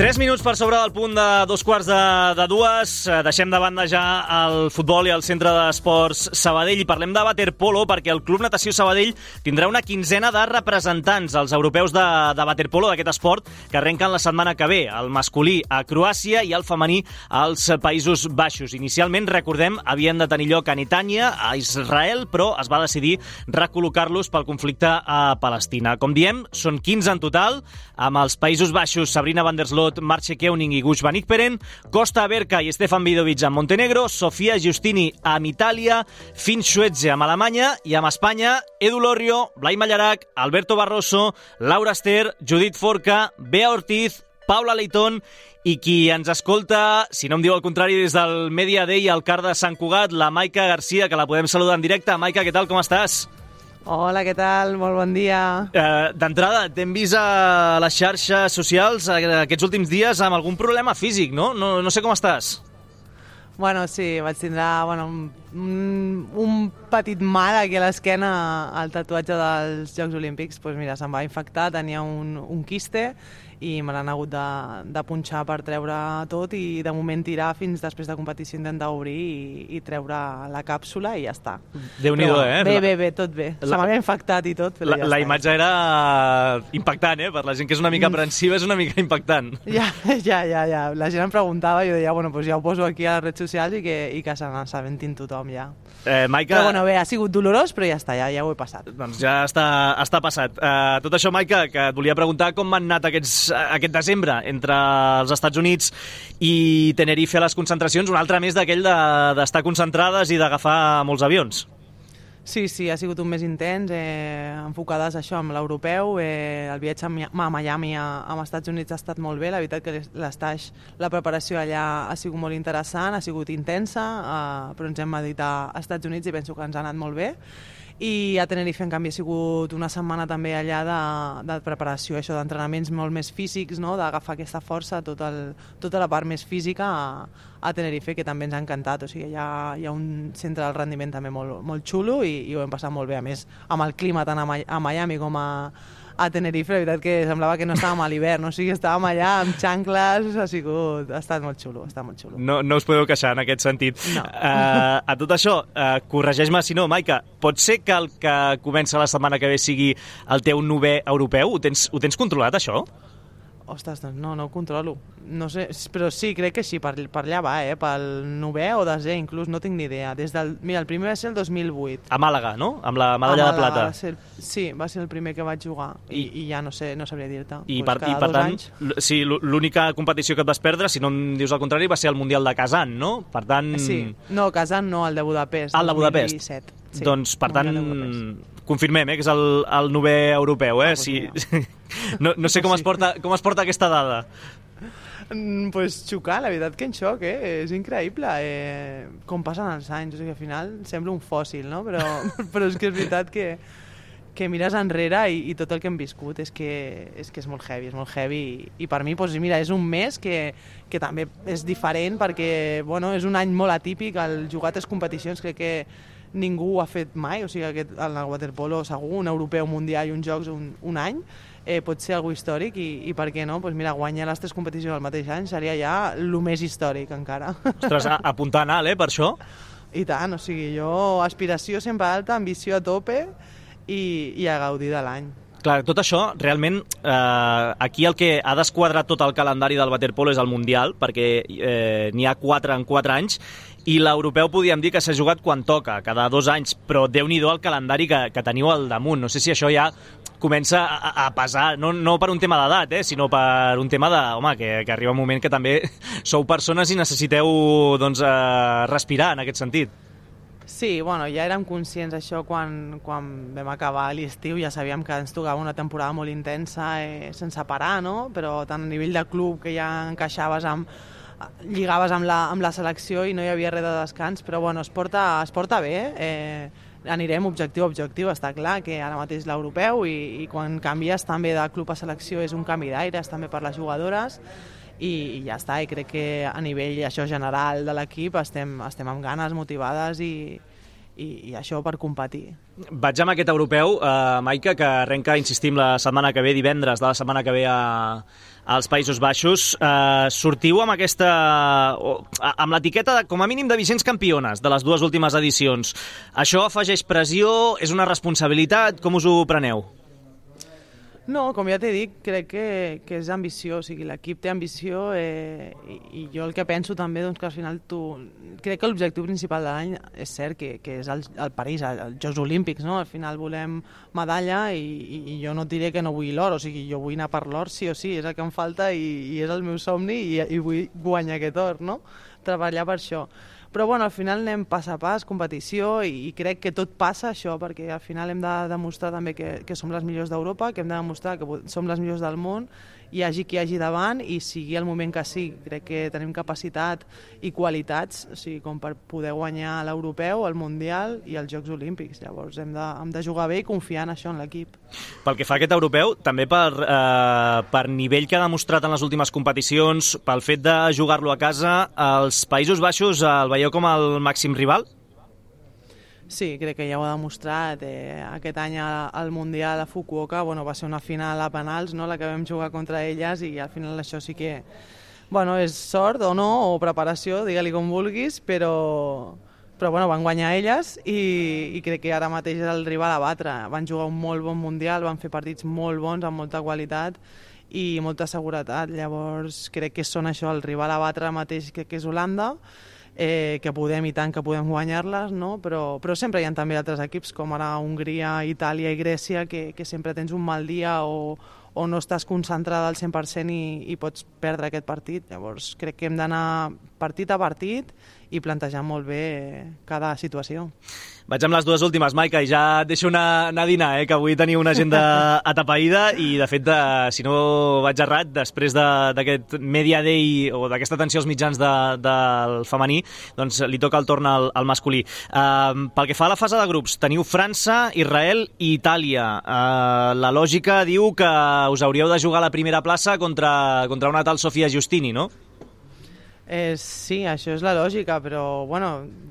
3 minuts per sobre del punt de 2:15. Deixem de banda ja el futbol i el Centre d'Esports Sabadell i parlem de waterpolo, perquè el Club Natació Sabadell tindrà una quinzena de representants, els europeus de waterpolo, d'aquest esport, que arrenquen la setmana que ve. El masculí a Croàcia i el femení als Països Baixos. Inicialment, recordem, havien de tenir lloc a Netanya, a Israel, però es va decidir recol·locar-los pel conflicte a Palestina. Com diem, són 15 en total, amb els Països Baixos, Sabrina van der Sloot, Marce Keuning i Gush Van Ikperen, Costa Berka i Stefan Vidovic amb Montenegro, Sofia Giustini amb Itàlia, Finn Schwetze amb Alemanya i amb Espanya, Edu Lorrio, Blai Mallarac, Alberto Barroso, Laura Ester, Judit Forca, Bea Ortiz, Paula Leitón i qui ens escolta, si no em diu el contrari, des del Media Day al CAR de Sant Cugat, la Maica Garcia, que la podem saludar en directe. Maica, què tal, com estàs? Hola, què tal? Molt bon dia. D'entrada, t'hem vist a les xarxes socials aquests últims dies amb algun problema físic, no? No sé com estàs. Bueno, sí, vaig tindre un petit mal aquí a l'esquena al tatuatge dels Jocs Olímpics. Pues mira, se'm va infectar, tenia un quiste i me l'han hagut de punxar per treure tot i de moment tirar fins després de competició, intentar obrir i treure la càpsula i ja està. Déu-n'hi-do, Bé, tot bé. Se m'havia infectat i tot, però ja la imatge era impactant, per la gent que és una mica aprensiva és una mica impactant. Ja. La gent em preguntava i jo deia, bueno, pues ja ho poso aquí a les redes socials i que se n'assabentin tothom ja. Maica... Però bueno, bé, ha sigut dolorós, però ja està, ja ho he passat. Doncs ja està passat. Tot això, Maica, que et volia preguntar com han anat aquest desembre entre els Estats Units i Tenerife a les concentracions, un altre mes d'aquell d'estar concentrades i d'agafar molts avions. Sí, ha sigut un mes intens, enfocades això amb l'europeu, el viatge a Miami als Estats Units ha estat molt bé, la veritat que la preparació allà ha sigut molt interessant, ha sigut intensa, però ens hem medit als Estats Units i penso que ens ha anat molt bé. I a Tenerife, en canvi, ha sigut una setmana també allà de preparació, això d'entrenaments molt més físics, no? D'agafar aquesta força, tota la part més física a Tenerife, que també ens ha encantat. O sigui, hi ha un centre del rendiment també molt xulo i ho hem passat molt bé. A més, amb el clima tant a Miami com a Tenerife, la veritat que semblava que no estàvem a l'hivern, o sigui, estàvem allà amb xancles, ha estat molt xulo, No us podeu queixar en aquest sentit. No. A tot això, corregeix-me si no, Maica, pot ser que el que comença la setmana que ve sigui el teu 9è europeu? Ho tens controlat, això? Ostres, doncs no ho controlo. No sé, però sí, crec que sí, per allà va, pel 9è o 10è, inclús, no tinc ni idea. Mira, el primer va ser el 2008. A Màlaga, no? Amb la medalla de plata. Va ser el primer que vaig jugar i ja no sabria dir-te. I per tant, sí, l'única competició que et vas perdre, si no em dius el contrari, va ser el Mundial de Kazan, no? Per tant... Sí, no, Kazan no, el de Budapest. El de Budapest. 2017. Sí, doncs, per tant, confirmem que és el 9è europeu, sí. No sé com es porta aquesta dada. Pues xocant, la veritat que en xoc, és increïble com passen els anys, o sigui, al final sembla un fòssil, no? Però és que és veritat que mires enrere i tot el que hem viscut és que és molt heavy i per mi, doncs, mira, és un mes que també és diferent perquè, bueno, és un any molt atípic, el jugar a 3 competicions crec que ningú ho ha fet mai, o sigui, el waterpolo segur, un europeu, mundial i uns jocs un any, pot ser algo històric i per què no? Pues mira, guanyar les 3 competicions al mateix any seria ja el més històric encara. Ostres, apuntant alt, per això? I tant, o sigui, jo aspiració sempre alta, ambició a tope i a gaudir de l'any. Clar, tot això, realment, aquí el que ha desquadrat tot el calendari del waterpolo és el Mundial, perquè n'hi ha 4 en 4 anys, i l'europeu podríem dir que s'ha jugat quan toca, cada 2 anys, però Déu-n'hi-do el calendari que teniu al damunt. No sé si això ja comença a pesar, no per un tema d'edat, sinó per un tema de, home, que arriba un moment que també sou persones i necessiteu doncs, respirar en aquest sentit. Sí, bueno, ja érem conscients d'això quan vam acabar l'estiu, ja sabíem que ens tocava una temporada molt intensa sense parar, no? Però tant a nivell de club que ja encaixaves lligaves amb la selecció i no hi havia res de descans, però bueno, es porta bé, anirem objectiu a objectiu, està clar que ara mateix l'europeu i quan canvies també de club a selecció és un canvi d'aires també per les jugadores i ja està, i crec que a nivell això general de l'equip estem amb ganes, motivades i això per competir. Vaig amb aquest europeu, Maika, que arrenca, insistim, la setmana que ve, divendres de la setmana que ve als Països Baixos. Sortiu amb amb l'etiqueta de, com a mínim, de vigents campiones de les 2 últimes edicions. Això afegeix pressió? És una responsabilitat? Com us ho preneu? No, com ja t'he dit, crec que és ambició, o sigui, l'equip té ambició i jo el que penso també doncs, que al final crec que l'objectiu principal de l'any és cert que és el París, els Jocs Olímpics, no? Al final volem medalla i jo no et diré que no vull l'or, o sigui, jo vull anar per l'or sí o sí, és el que em falta i és el meu somni i vull guanyar aquest or, no? Treballar per això. Però bueno, al final anem pas a pas, competició, i crec que tot passa això, perquè al final hem de demostrar també que som les millors d'Europa, que hem de demostrar que som les millors del món, hi hagi qui hi hagi davant i sigui el moment que sigui. Crec que tenim capacitat i qualitats, o sigui, com per poder guanyar l'europeu, el mundial i els Jocs Olímpics. Llavors hem de jugar bé i confiar en això, en l'equip. Pel que fa a aquest europeu, també per nivell que ha demostrat en les últimes competicions, pel fet de jugar-lo a casa, els Països Baixos el veieu com el màxim rival? Sí, crec que ja ho ha demostrat. Aquest any al Mundial a Fukuoka va ser una final a penals, no? La que vam jugar contra elles i al final això sí que és sort o no, o preparació, digue-li com vulguis, però van guanyar elles i crec que ara mateix és el rival a batre. Van jugar un molt bon Mundial, van fer partits molt bons, amb molta qualitat i molta seguretat. Llavors crec que són això, el rival a batre mateix que és Holanda, que podem i tant que podem guanyar-les, no? Però sempre hi ha també altres equips com ara Hongria, Itàlia i Grècia que sempre tens un mal dia o no estàs concentrada al 100% i pots perdre aquest partit. Llavors crec que hem d'anar partit a partit i plantejar molt bé cada situació. Vaig amb les 2 últimes, Maika, i ja et deixo anar a dinar, que avui teniu una agenda atapeïda i, de fet, si no vaig errat, després d'aquest Media Day o d'aquesta atenció als mitjans del femení, doncs li toca el torn al masculí. Pel que fa a la fase de grups, teniu França, Israel i Itàlia. La lògica diu que us hauríeu de jugar a la primera plaça contra una tal Sofia Giustini, no? Sí, això és la lògica, però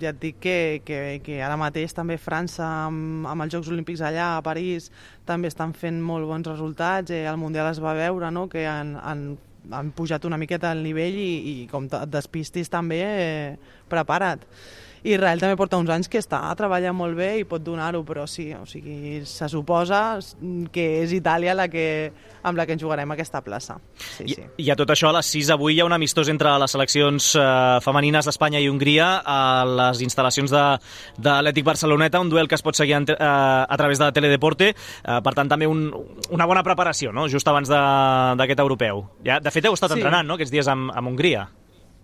ja et dic que ara mateix també França amb els Jocs Olímpics allà a París també estan fent molt bons resultats. Al Mundial es va veure, no?, que han pujat una miqueta el nivell i com et despistis també, prepara't. Israel també porta uns anys que està treballant molt bé i pot donar-ho, però sí, o sigui, se suposa que és Itàlia amb la que ens jugarem aquesta plaça. Sí. I a tot això, a les 6 avui hi ha un amistós entre les seleccions femenines d'Espanya i Hongria a les instal·lacions de l'Atlètic Barceloneta, un duel que es pot seguir a través de Teledeporte, per tant també una bona preparació, no?, just abans d'aquest europeu. Ja, de fet, heu estat entrenant, no?, aquests dies amb Hongria.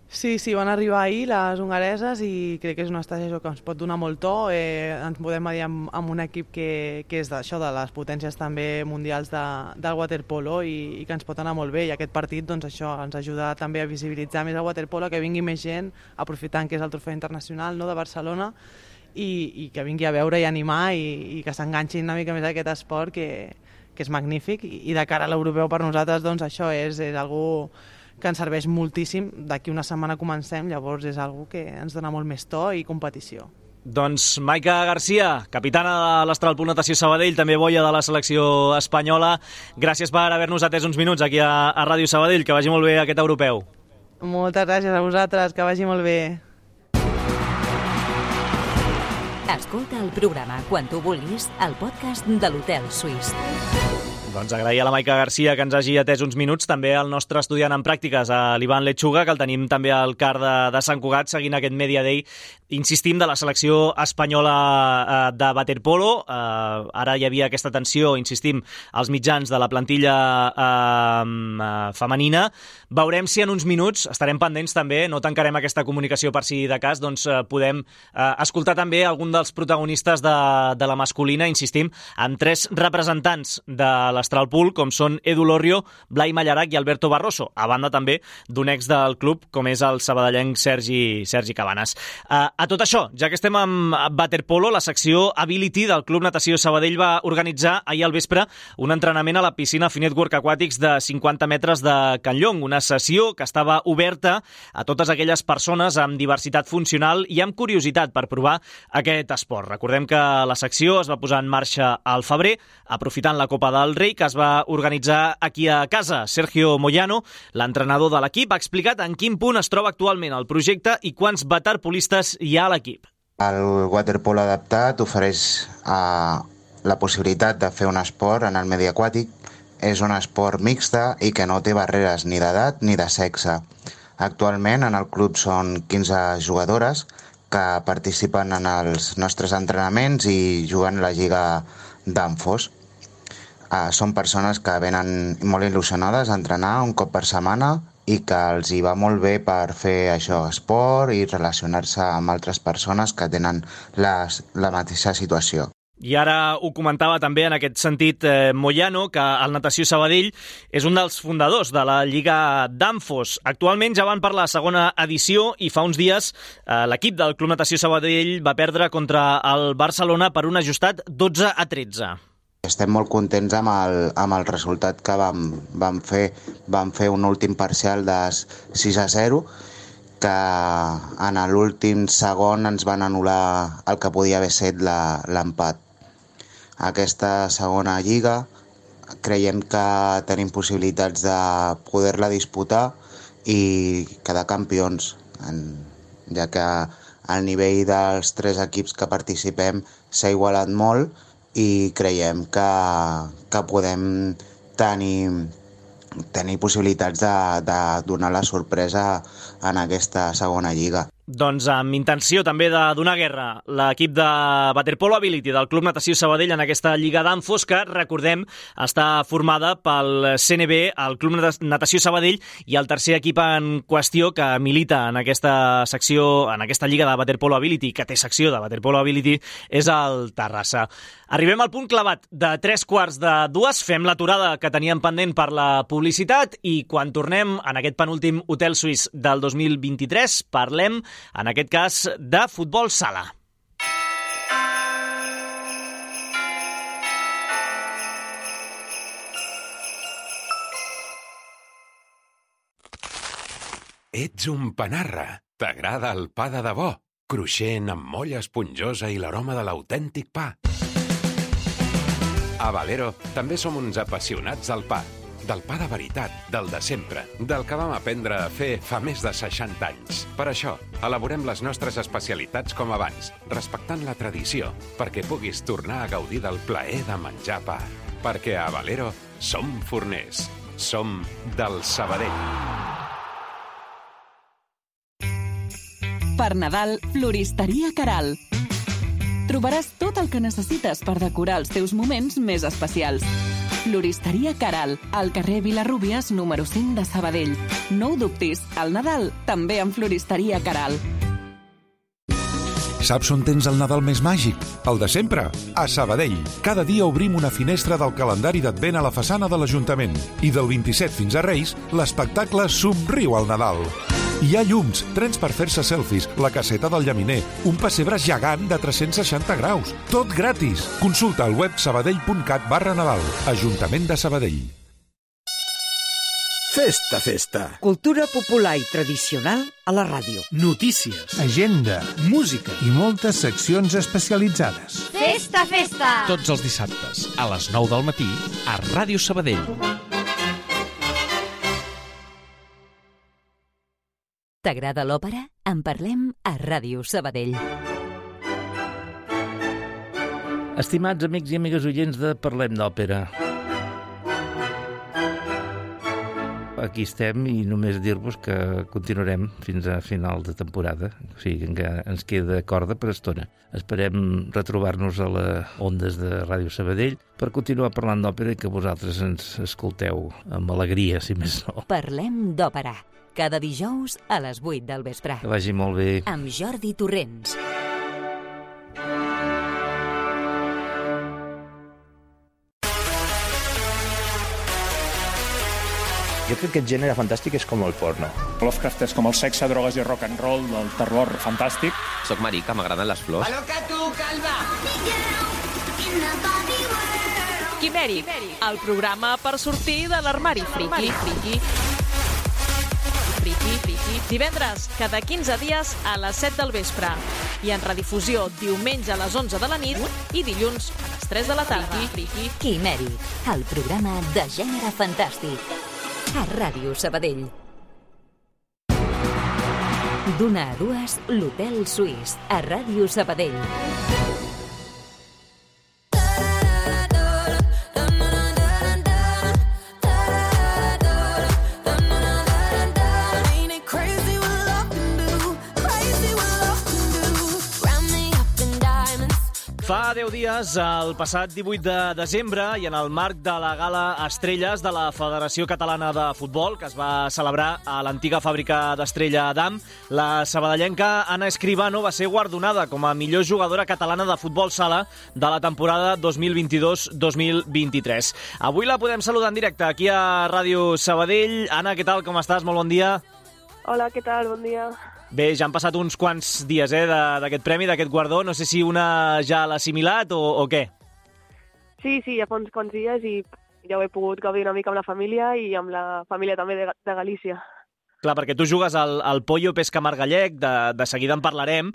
Sí, van arribar ahir les hongareses i crec que és una estratègia que ens pot donar molt to. Ens podem medir amb un equip que és d'això, de les potències també mundials del waterpolo i que ens pot anar molt bé. I aquest partit, doncs això, ens ajuda també a visibilitzar més el waterpolo, que vingui més gent, aprofitant que és el trofeu internacional, no?, de Barcelona, i que vingui a veure i animar i que s'enganxin una mica més a aquest esport que és magnífic. I de cara a l'europeu per nosaltres, doncs això és algú que ens serveix moltíssim. D'aquí una setmana comencem, llavors és algo que ens dona molt més to i competició. Doncs Maica Garcia, capitana de l'Astralpool Natació Sabadell, també boia de la selecció espanyola. Gràcies per haver-nos atès uns minuts aquí a Ràdio Sabadell. Que vagi molt bé aquest europeu. Moltes gràcies a vosaltres, que vagi molt bé. Escolta el programa quan tu vulguis al podcast de l'Hotel Suís. Doncs agrair a la Maica Garcia que ens hagi atès uns minuts, també al nostre estudiant en pràctiques, a l'Ivan Lechuga, que el tenim també al CAR de Sant Cugat, seguint aquest Media Day, insistim, de la selecció espanyola de waterpolo. Ara hi havia aquesta tensió, insistim, als mitjans de la plantilla femenina. Veurem si en uns minuts, estarem pendents també, no tancarem aquesta comunicació per si de cas, doncs podem escoltar també algun dels protagonistes de la masculina, insistim, amb 3 representants de l'Astralpool, com són Edu Lorrio, Blai Mallarac i Alberto Barroso, a banda també d'un ex del club, com és el sabadellenc Sergi Cabanes. A tot això, ja que estem amb waterpolo, la secció Ability del Club Natació Sabadell va organitzar ahir al vespre un entrenament a la piscina Finetwork Aquàtics de 50 metres de Can Llong, una sessió que estava oberta a totes aquelles persones amb diversitat funcional i amb curiositat per provar aquest esport. Recordem que la secció es va posar en marxa al febrer, aprofitant la Copa del Rei, que es va organitzar aquí a casa. Sergio Moyano, l'entrenador de l'equip, ha explicat en quin punt es troba actualment el projecte i quants waterpolistes hi ha a l'equip. El waterpolo adaptat ofereix la possibilitat de fer un esport en el medi aquàtic. És un esport mixta i que no té barreres ni d'edat ni de sexe. Actualment en el club són 15 jugadores que participen en els nostres entrenaments i juguen a la Lliga d'Anfos. Són persones que venen molt il·lusionades a entrenar un cop per setmana i que els hi va molt bé per fer això, esport i relacionar-se amb altres persones que tenen la mateixa situació. I ara ho comentava també en aquest sentit Moyano, que el Natació Sabadell és un dels fundadors de la Lliga d'Anfos. Actualment ja van per la segona edició i fa uns dies l'equip del Club Natació Sabadell va perdre contra el Barcelona per un ajustat 12-13. Estem molt contents amb el resultat que vam fer. Vam fer un últim parcial de 6-0, que en l'últim segon ens van anul·lar el que podia haver set l'empat. Aquesta segona lliga creiem que tenim possibilitats de poder-la disputar i quedar campions, ja que el nivell dels 3 equips que participem s'ha igualat molt i creiem que podem tenir possibilitats de donar la sorpresa en aquesta segona lliga. Doncs amb intenció també de donar guerra, l'equip de Waterpolo Ability del Club Natació Sabadell en aquesta Lliga d'Anfos, que, recordem, està formada pel CNB, el Club Natació Sabadell, i el tercer equip en qüestió que milita en aquesta secció, en aquesta Lliga de Waterpolo Ability, que té secció de Waterpolo Ability, és el Terrassa. Arribem al punt clavat de 3:45, fem l'aturada que teníem pendent per la publicitat i quan tornem en aquest penúltim Hotel Suís del 2023 parlem, en aquest cas, de futbol sala. Ets un panarra. T'agrada el pa de debò, cruixent amb molla esponjosa i l'aroma de l'autèntic pa. A Valero també som uns apassionats del pa de veritat, del de sempre, del que vam aprendre a fer fa més de 60 anys. Per això, elaborem les nostres especialitats com abans, respectant la tradició, perquè puguis tornar a gaudir del plaer de menjar pa. Perquè a Valero som forners, som del Sabadell. Per Nadal, Floristeria Caral. Trobaràs tot el que necessites per decorar els teus moments més especials. Floristeria Caral, al carrer Vilarrúbies, número 5 de Sabadell. No ho dubtis, al Nadal també amb Floristeria Caral. Saps on tens el Nadal més màgic? El de sempre, a Sabadell. Cada dia obrim una finestra del calendari d'Advent a la façana de l'Ajuntament. I del 27 fins a Reis, l'espectacle Somriu al Nadal. Hi ha llums, trens per fer-se selfies, la caseta del llaminer, un pessebre gegant de 360 graus. Tot gratis. Consulta al web sabadell.cat/Nadal. Ajuntament de Sabadell. Festa, festa. Cultura popular i tradicional a la ràdio. Notícies. Agenda. Música. I moltes seccions especialitzades. Festa, festa! Tots els dissabtes, a les 9 del matí, a Ràdio Sabadell. T'agrada l'òpera? En parlem a Ràdio Sabadell. Estimats amics i amigues oients de Parlem d'Òpera, aquí estem i només dir-vos que continuarem fins a final de temporada, o sigui que ens queda corda per estona. Esperem retrobar-nos a les ondes de Ràdio Sabadell per continuar parlant d'òpera i que vosaltres ens escolteu amb alegria, si més no. Parlem d'òpera, cada dijous a les 8 del vespre. Que vagi molt bé. Amb Jordi Torrents. Jo crec que el gènere fantàstic és com el porno. Lovecraft és com el sexe, drogues i rock and roll del terror fantàstic. Soc marica, m'agraden les flors. Aloca tu, calva! Quimèric, el programa per sortir de l'armari friki. Divendres, cada 15 dies a les 7 del vespre. I en redifusió diumenge a les 11 de la nit i dilluns a les 3 de la tarda. Quimèric, el programa de gènere fantàstic. A Ràdio Sabadell. D'una a dues, l'Hotel Suís, a Ràdio Sabadell. Fa 10 dies, el passat 18 de desembre, i en el marc de la Gala Estrelles de la Federació Catalana de Futbol, que es va celebrar a l'antiga fàbrica d'Estrella d'Am, la sabadellenca Anna Escribano va ser guardonada com a millor jugadora catalana de futbol sala de la temporada 2022-2023. Avui la podem saludar en directe aquí a Ràdio Sabadell. Anna, què tal? Com estàs? Molt bon dia. Hola, què tal? Bon dia. Bé, ja han passat uns quants dies d'aquest premi, d'aquest guardó. No sé si una ja l'ha assimilat o què. Sí, ja fa uns quants dies i ja ho he pogut gaudir una mica amb la família i amb la família també de Galícia. Clar, perquè tu jugues al Pollo Pescamar gallec, de seguida en parlarem,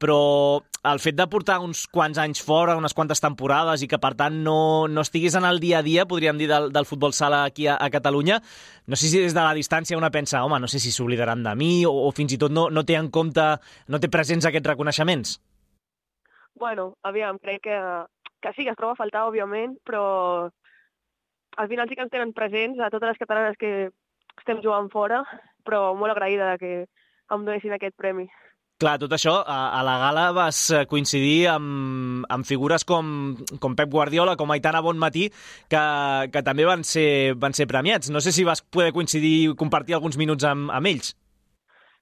però el fet de portar uns quants anys fora, unes quantes temporades, i que per tant no estiguis en el dia a dia, podríem dir, del futbol sala aquí a Catalunya, no sé si des de la distància una pensa, home, no sé si s'oblidaran de mi, o fins i tot no té en compte, no té presents aquests reconeixements. Bueno, aviam, crec que sí, que es troba a faltar, òbviament, però al final sí que ens tenen presents a totes les catalanes que estem jugant fora, però molt agraïda que em donessin aquest premi. Clar, tot això, a la gala vas coincidir amb figures com Pep Guardiola, com Aitana Bonmatí, que també van ser premiats. No sé si vas poder coincidir i compartir alguns minuts amb ells.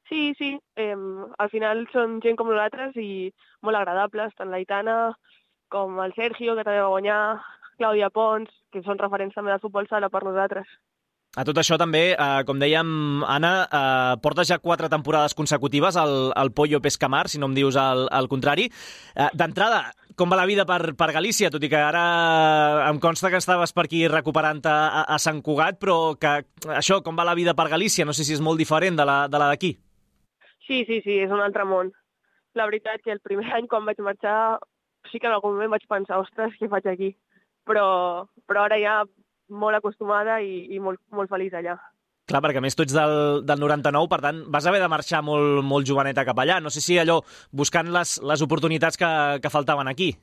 Sí. Al final són gent com nosaltres i molt agradables, tant l'Aitana com el Sergio, que també va guanyar, Clàudia Pons, que són referents també del futbol sala per nosaltres. A tot això també, com dèiem, Anna, portes ja 4 temporades consecutives al Pollo Pescamar, si no em dius el contrari. D'entrada, com va la vida per Galícia? Tot i que ara em consta que estaves per aquí recuperant-te a Sant Cugat, però que això, com va la vida per Galícia? No sé si és molt diferent de la d'aquí. Sí, és un altre món. La veritat que el primer any quan vaig marxar sí que en algun moment vaig pensar, ostres, què faig aquí? Però ara ja molt acostumada i molt feliç allà. Clar, perquè a més tu ets del 99, per tant vas haver de marxar molt joveneta cap allà. No sé si allò buscant les oportunitats que faltaven aquí.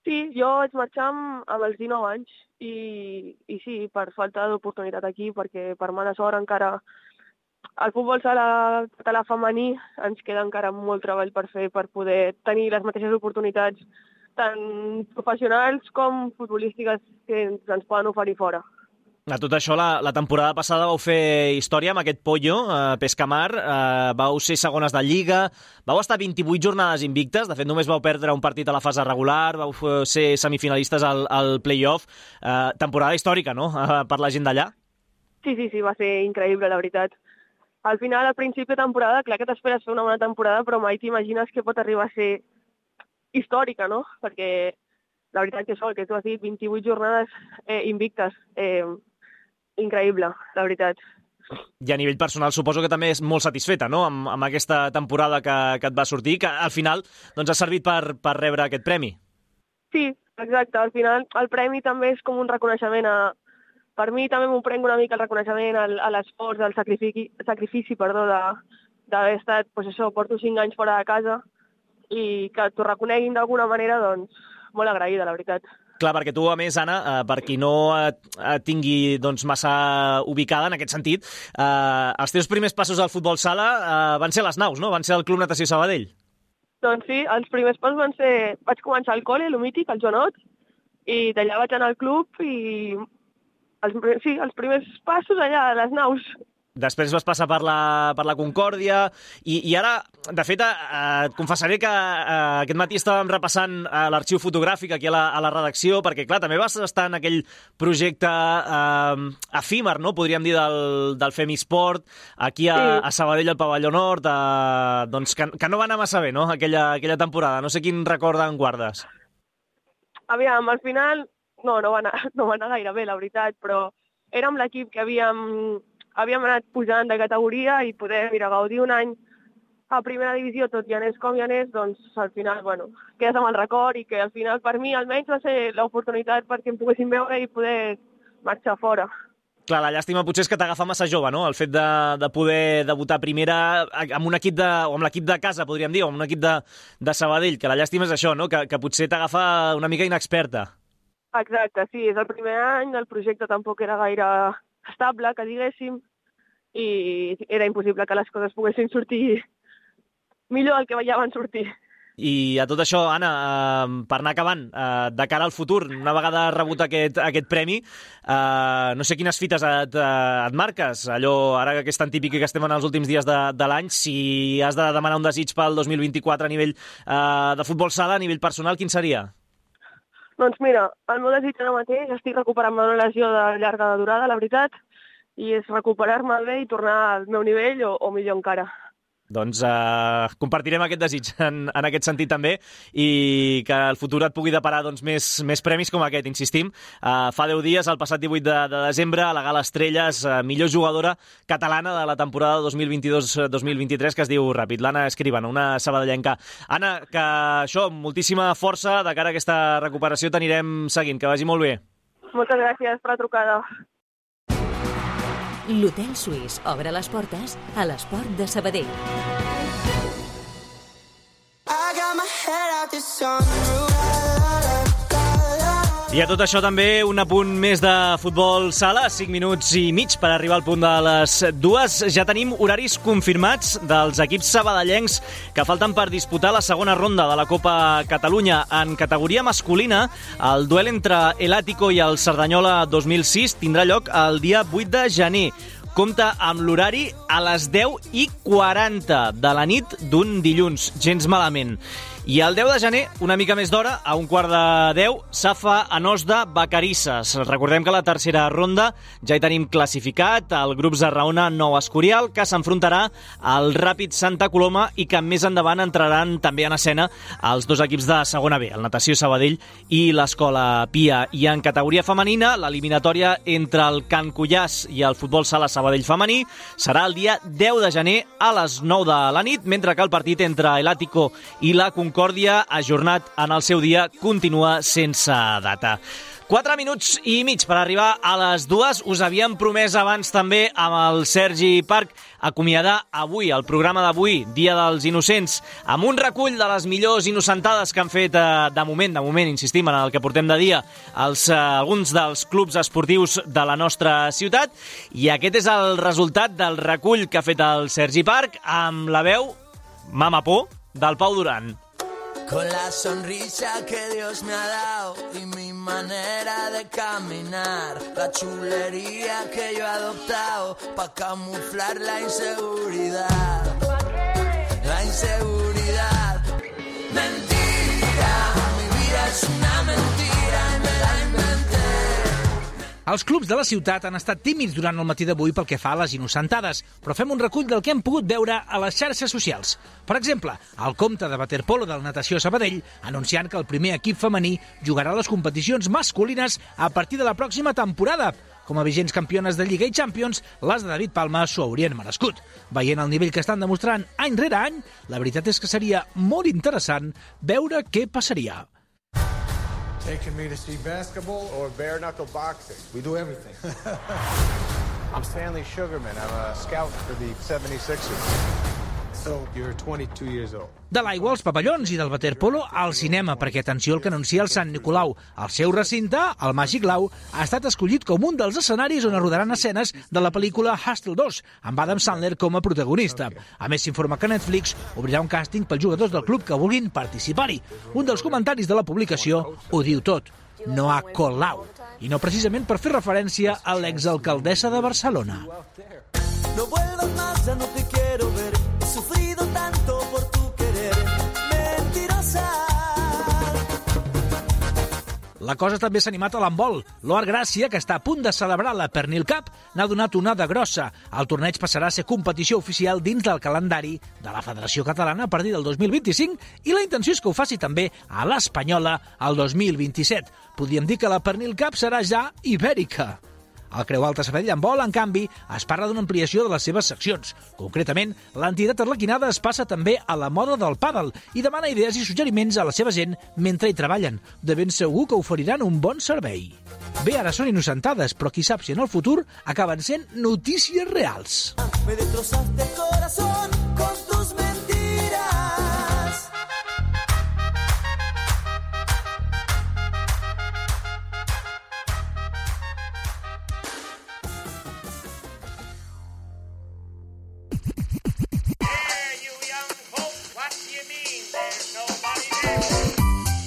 Sí, jo vaig marxar amb els 19 anys i sí, per falta d'oportunitat aquí, perquè per mala sort encara el futbol sala català femení ens queda encara molt treball per fer per poder tenir les mateixes oportunitats tant professionals com futbolístiques que ens poden oferir fora. A tot això, la temporada passada vau fer història amb aquest Pollo, Pescamar, vau ser segones de Lliga, vau estar 28 jornades invictes, de fet només vau perdre un partit a la fase regular, vau ser semifinalistes al play-off. Temporada històrica, no?, per la gent d'allà? Sí, va ser increïble, la veritat. Al final, al principi de temporada, clar que t'esperes fer una bona temporada, però mai t'imagines que pot arribar a ser històrica, no? Perquè la veritat que el que tu has dit, 28 jornades invictes, increïble, la veritat. I a nivell personal suposo que també és molt satisfeta, no?, amb aquesta temporada que et va sortir, que al final doncs, ha servit per rebre aquest premi. Sí, exacte. Al final el premi també és com un reconeixement per mi també m'ho prenc una mica el reconeixement a l'esforç, al sacrifici, d'haver estat, porto 5 anys fora de casa i que t'ho reconeguin d'alguna manera, doncs, molt agraïda, la veritat. Clar, perquè tu, a més, Anna, per qui no et tingui massa ubicada en aquest sentit, els teus primers passos al futbol sala van ser a les naus, no? Van ser al Club Natació Sabadell. Doncs sí, els primers passos van ser... Vaig començar al col·le, el mític, al Joanot, i d'allà vaig anar al club i... els primers passos allà a les naus. Després vas passar per la Concòrdia i ara, de fet, et confessaré que aquest matí estàvem repassant l'arxiu fotogràfic aquí a la redacció, perquè, clar, també vas estar en aquell projecte efímer, no?, podríem dir, del Femisport, aquí a Sabadell, al Pavelló Nord, doncs que no va anar massa bé, no?, aquella temporada. No sé quin record en guardes. Aviam, al final, no va anar gaire bé, la veritat, però érem l'equip que havíem anat pujant de categoria i poder, gaudir un any a primera divisió, tot i anés com hi anés, doncs al final, quedes amb el record i que al final per mi almenys va ser l'oportunitat perquè em poguessin veure i poder marxar fora. Clar, la llàstima potser és que t'agafa massa jove, no?, el fet de poder debutar primera amb un equip amb l'equip de casa, podríem dir, o amb un equip de Sabadell, que la llàstima és això, no?, que potser t'agafa una mica inexperta. Exacte, sí, és el primer any, el projecte tampoc era gaire estable, que diguéssim, i era impossible que les coses poguessin sortir millor del que ja van sortir. I a tot això, Anna, per anar acabant, de cara al futur, una vegada rebut aquest premi, no sé quines fites et marques, allò, ara que és tan típic que estem en els últims dies de l'any, si has de demanar un desig pel 2024 a nivell de futbol sala, a nivell personal, quin seria? Doncs mira, el meu desig ara mateix, estic recuperant una lesió de llarga durada, la veritat, i és recuperar-me bé i tornar al meu nivell o millor encara. Doncs compartirem aquest desig en aquest sentit també i que el futur et pugui deparar més premis com aquest, insistim. Fa 10 dies, el passat 18 de desembre, a la Gala Estrelles, millor jugadora catalana de la temporada 2022-2023, que es diu ràpid, l'Anna Escribano, una sabadellenca. Anna, que això, moltíssima força de cara a aquesta recuperació, t'anirem seguint, que vagi molt bé. Moltes gràcies per la trucada. L'Hotel Suís obre les portes a l'esport de Sabadell. I a tot això també un apunt més de futbol sala, 5 minuts i mig per arribar al punt de les 2. Ja tenim horaris confirmats dels equips sabadellencs que falten per disputar la segona ronda de la Copa Catalunya. En categoria masculina, el duel entre el Àtico i el Cerdanyola 2006 tindrà lloc el dia 8 de gener. Compta amb l'horari a les 10:40 de la nit d'un dilluns, gens malament. I el 10 de gener, una mica més d'hora, a 11:45, Safa Anós de Vacarisses. Recordem que la tercera ronda ja hi tenim classificat el grup Zarraona Nou Escorial, que s'enfrontarà al Ràpid Santa Coloma i que més endavant entraran també en escena els dos equips de segona B, el Natació Sabadell i l'Escola Pia. I en categoria femenina, l'eliminatòria entre el Can Cullàs i el Futbol Sala Sabadell femení serà el dia 10 de gener a les 9 de la nit, mentre que el partit entre el Àtico i la Concòrdia, ajornat en el seu dia, continua sense data. 4 minuts i mig per arribar a les 2. Us havíem promès abans també amb el Sergi Parc acomiadar avui, el programa d'avui, Dia dels Innocents, amb un recull de les millors innocentades que han fet de moment, insistim, en el que portem de dia, alguns dels clubs esportius de la nostra ciutat. I aquest és el resultat del recull que ha fet el Sergi Parc amb la veu Mama Por del Pau Duran. Con la sonrisa que Dios me ha dado y mi manera de caminar, la chulería que yo he adoptado pa' camuflar la inseguridad. La inseguridad. Mentira, mi vida es una mentira y me la inventé. Els clubs de la ciutat han estat tímids durant el matí d'avui pel que fa a les innocentades, però fem un recull del que hem pogut veure a les xarxes socials. Per exemple, el compte de waterpolo del Natació Sabadell anunciant que el primer equip femení jugarà les competicions masculines a partir de la pròxima temporada. Com a vigents campiones de Lliga i Champions, les de David Palma s'ho haurien merescut. Veient el nivell que estan demostrant any rere any, la veritat és que seria molt interessant veure què passaria. Taking me to see basketball or bare knuckle boxing? We do everything. I'm Stanley Sugarman. I'm a scout for the 76ers. So you're 22 years old. De l'aigua als papallons i del waterpolo al cinema, perquè atenció al que anuncia el Sant Nicolau. El seu recinte, el Màgic Lau, ha estat escollit com un dels escenaris on es rodaran escenes de la pel·lícula Hustle 2, amb Adam Sandler com a protagonista. A més, s'informa que Netflix obrirà un càsting pels jugadors del club que vulguin participar-hi. Un dels comentaris de la publicació ho diu tot. No ha Colau. I no precisament per fer referència a l'exalcaldessa de Barcelona. No vuelvas más, ya no te quiero ver. He sufrido tanto por tu querer, mentirosa. La cosa també s'ha animat a l'handbol. L'Oar Gràcia, que està a punt de celebrar la Pernil Cup, n'ha donat una de grossa. El torneig passarà a ser competició oficial dins del calendari de la Federació Catalana a partir del 2025 i la intenció és que ho faci també a l'Espanyola el 2027. Podríem dir que la Pernil Cup serà ja ibèrica. Al Creu Alta Sabadell Handbol, en canvi, es parla d'una ampliació de les seves seccions. Concretament, l'entitat arlequinada es passa també a la moda del pàdel i demana idees i suggeriments a la seva gent mentre hi treballen. De ben segur que oferiran un bon servei. Bé, ara són innocentades, però qui sap si en el futur acaben sent notícies reals. Me destrozaste el corazón con tus mentiras.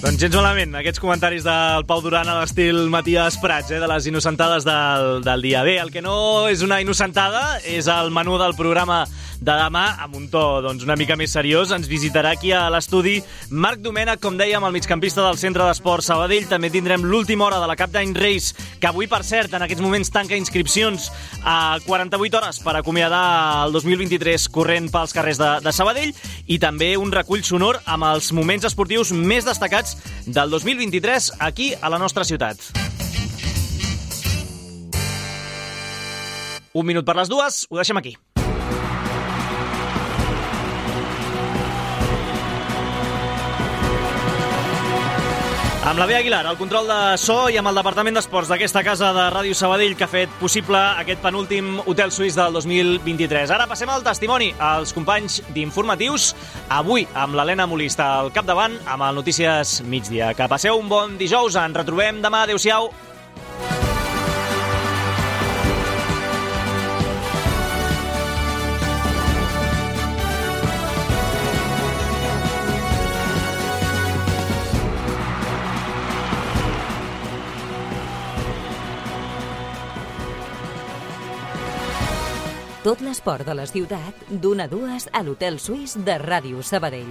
Doncs gens malament, aquests comentaris del Pau Duran a l'estil Matías Prats, de les innocentades del dia. Bé, el que no és una innocentada és el menú del programa de demà, amb un to una mica més seriós. Ens visitarà aquí a l'estudi Marc Domènech, com dèiem, el migcampista del Centre d'Esport Sabadell. També tindrem l'última hora de la Cap d'Any Reis, que avui, per cert, en aquests moments tanca inscripcions a 48 hores per acomiadar el 2023 corrent pels carrers de Sabadell, i també un recull sonor amb els moments esportius més destacats del 2023 aquí a la nostra ciutat. 1 minut per les 2, ho deixem aquí. Amb la Bea Aguilar, al control de so, i amb el Departament d'Esports d'aquesta casa de Ràdio Sabadell, que ha fet possible aquest penúltim Hotel Suís del 2023. Ara passem al testimoni als companys d'informatius, avui amb l'Helena Molista al capdavant, amb el Notícies Migdia. Que passeu un bon dijous, ens retrobem demà, adeu-siau. Tot l'esport de la ciutat, d'1 a 2 a l'Hotel Suís de Ràdio Sabadell.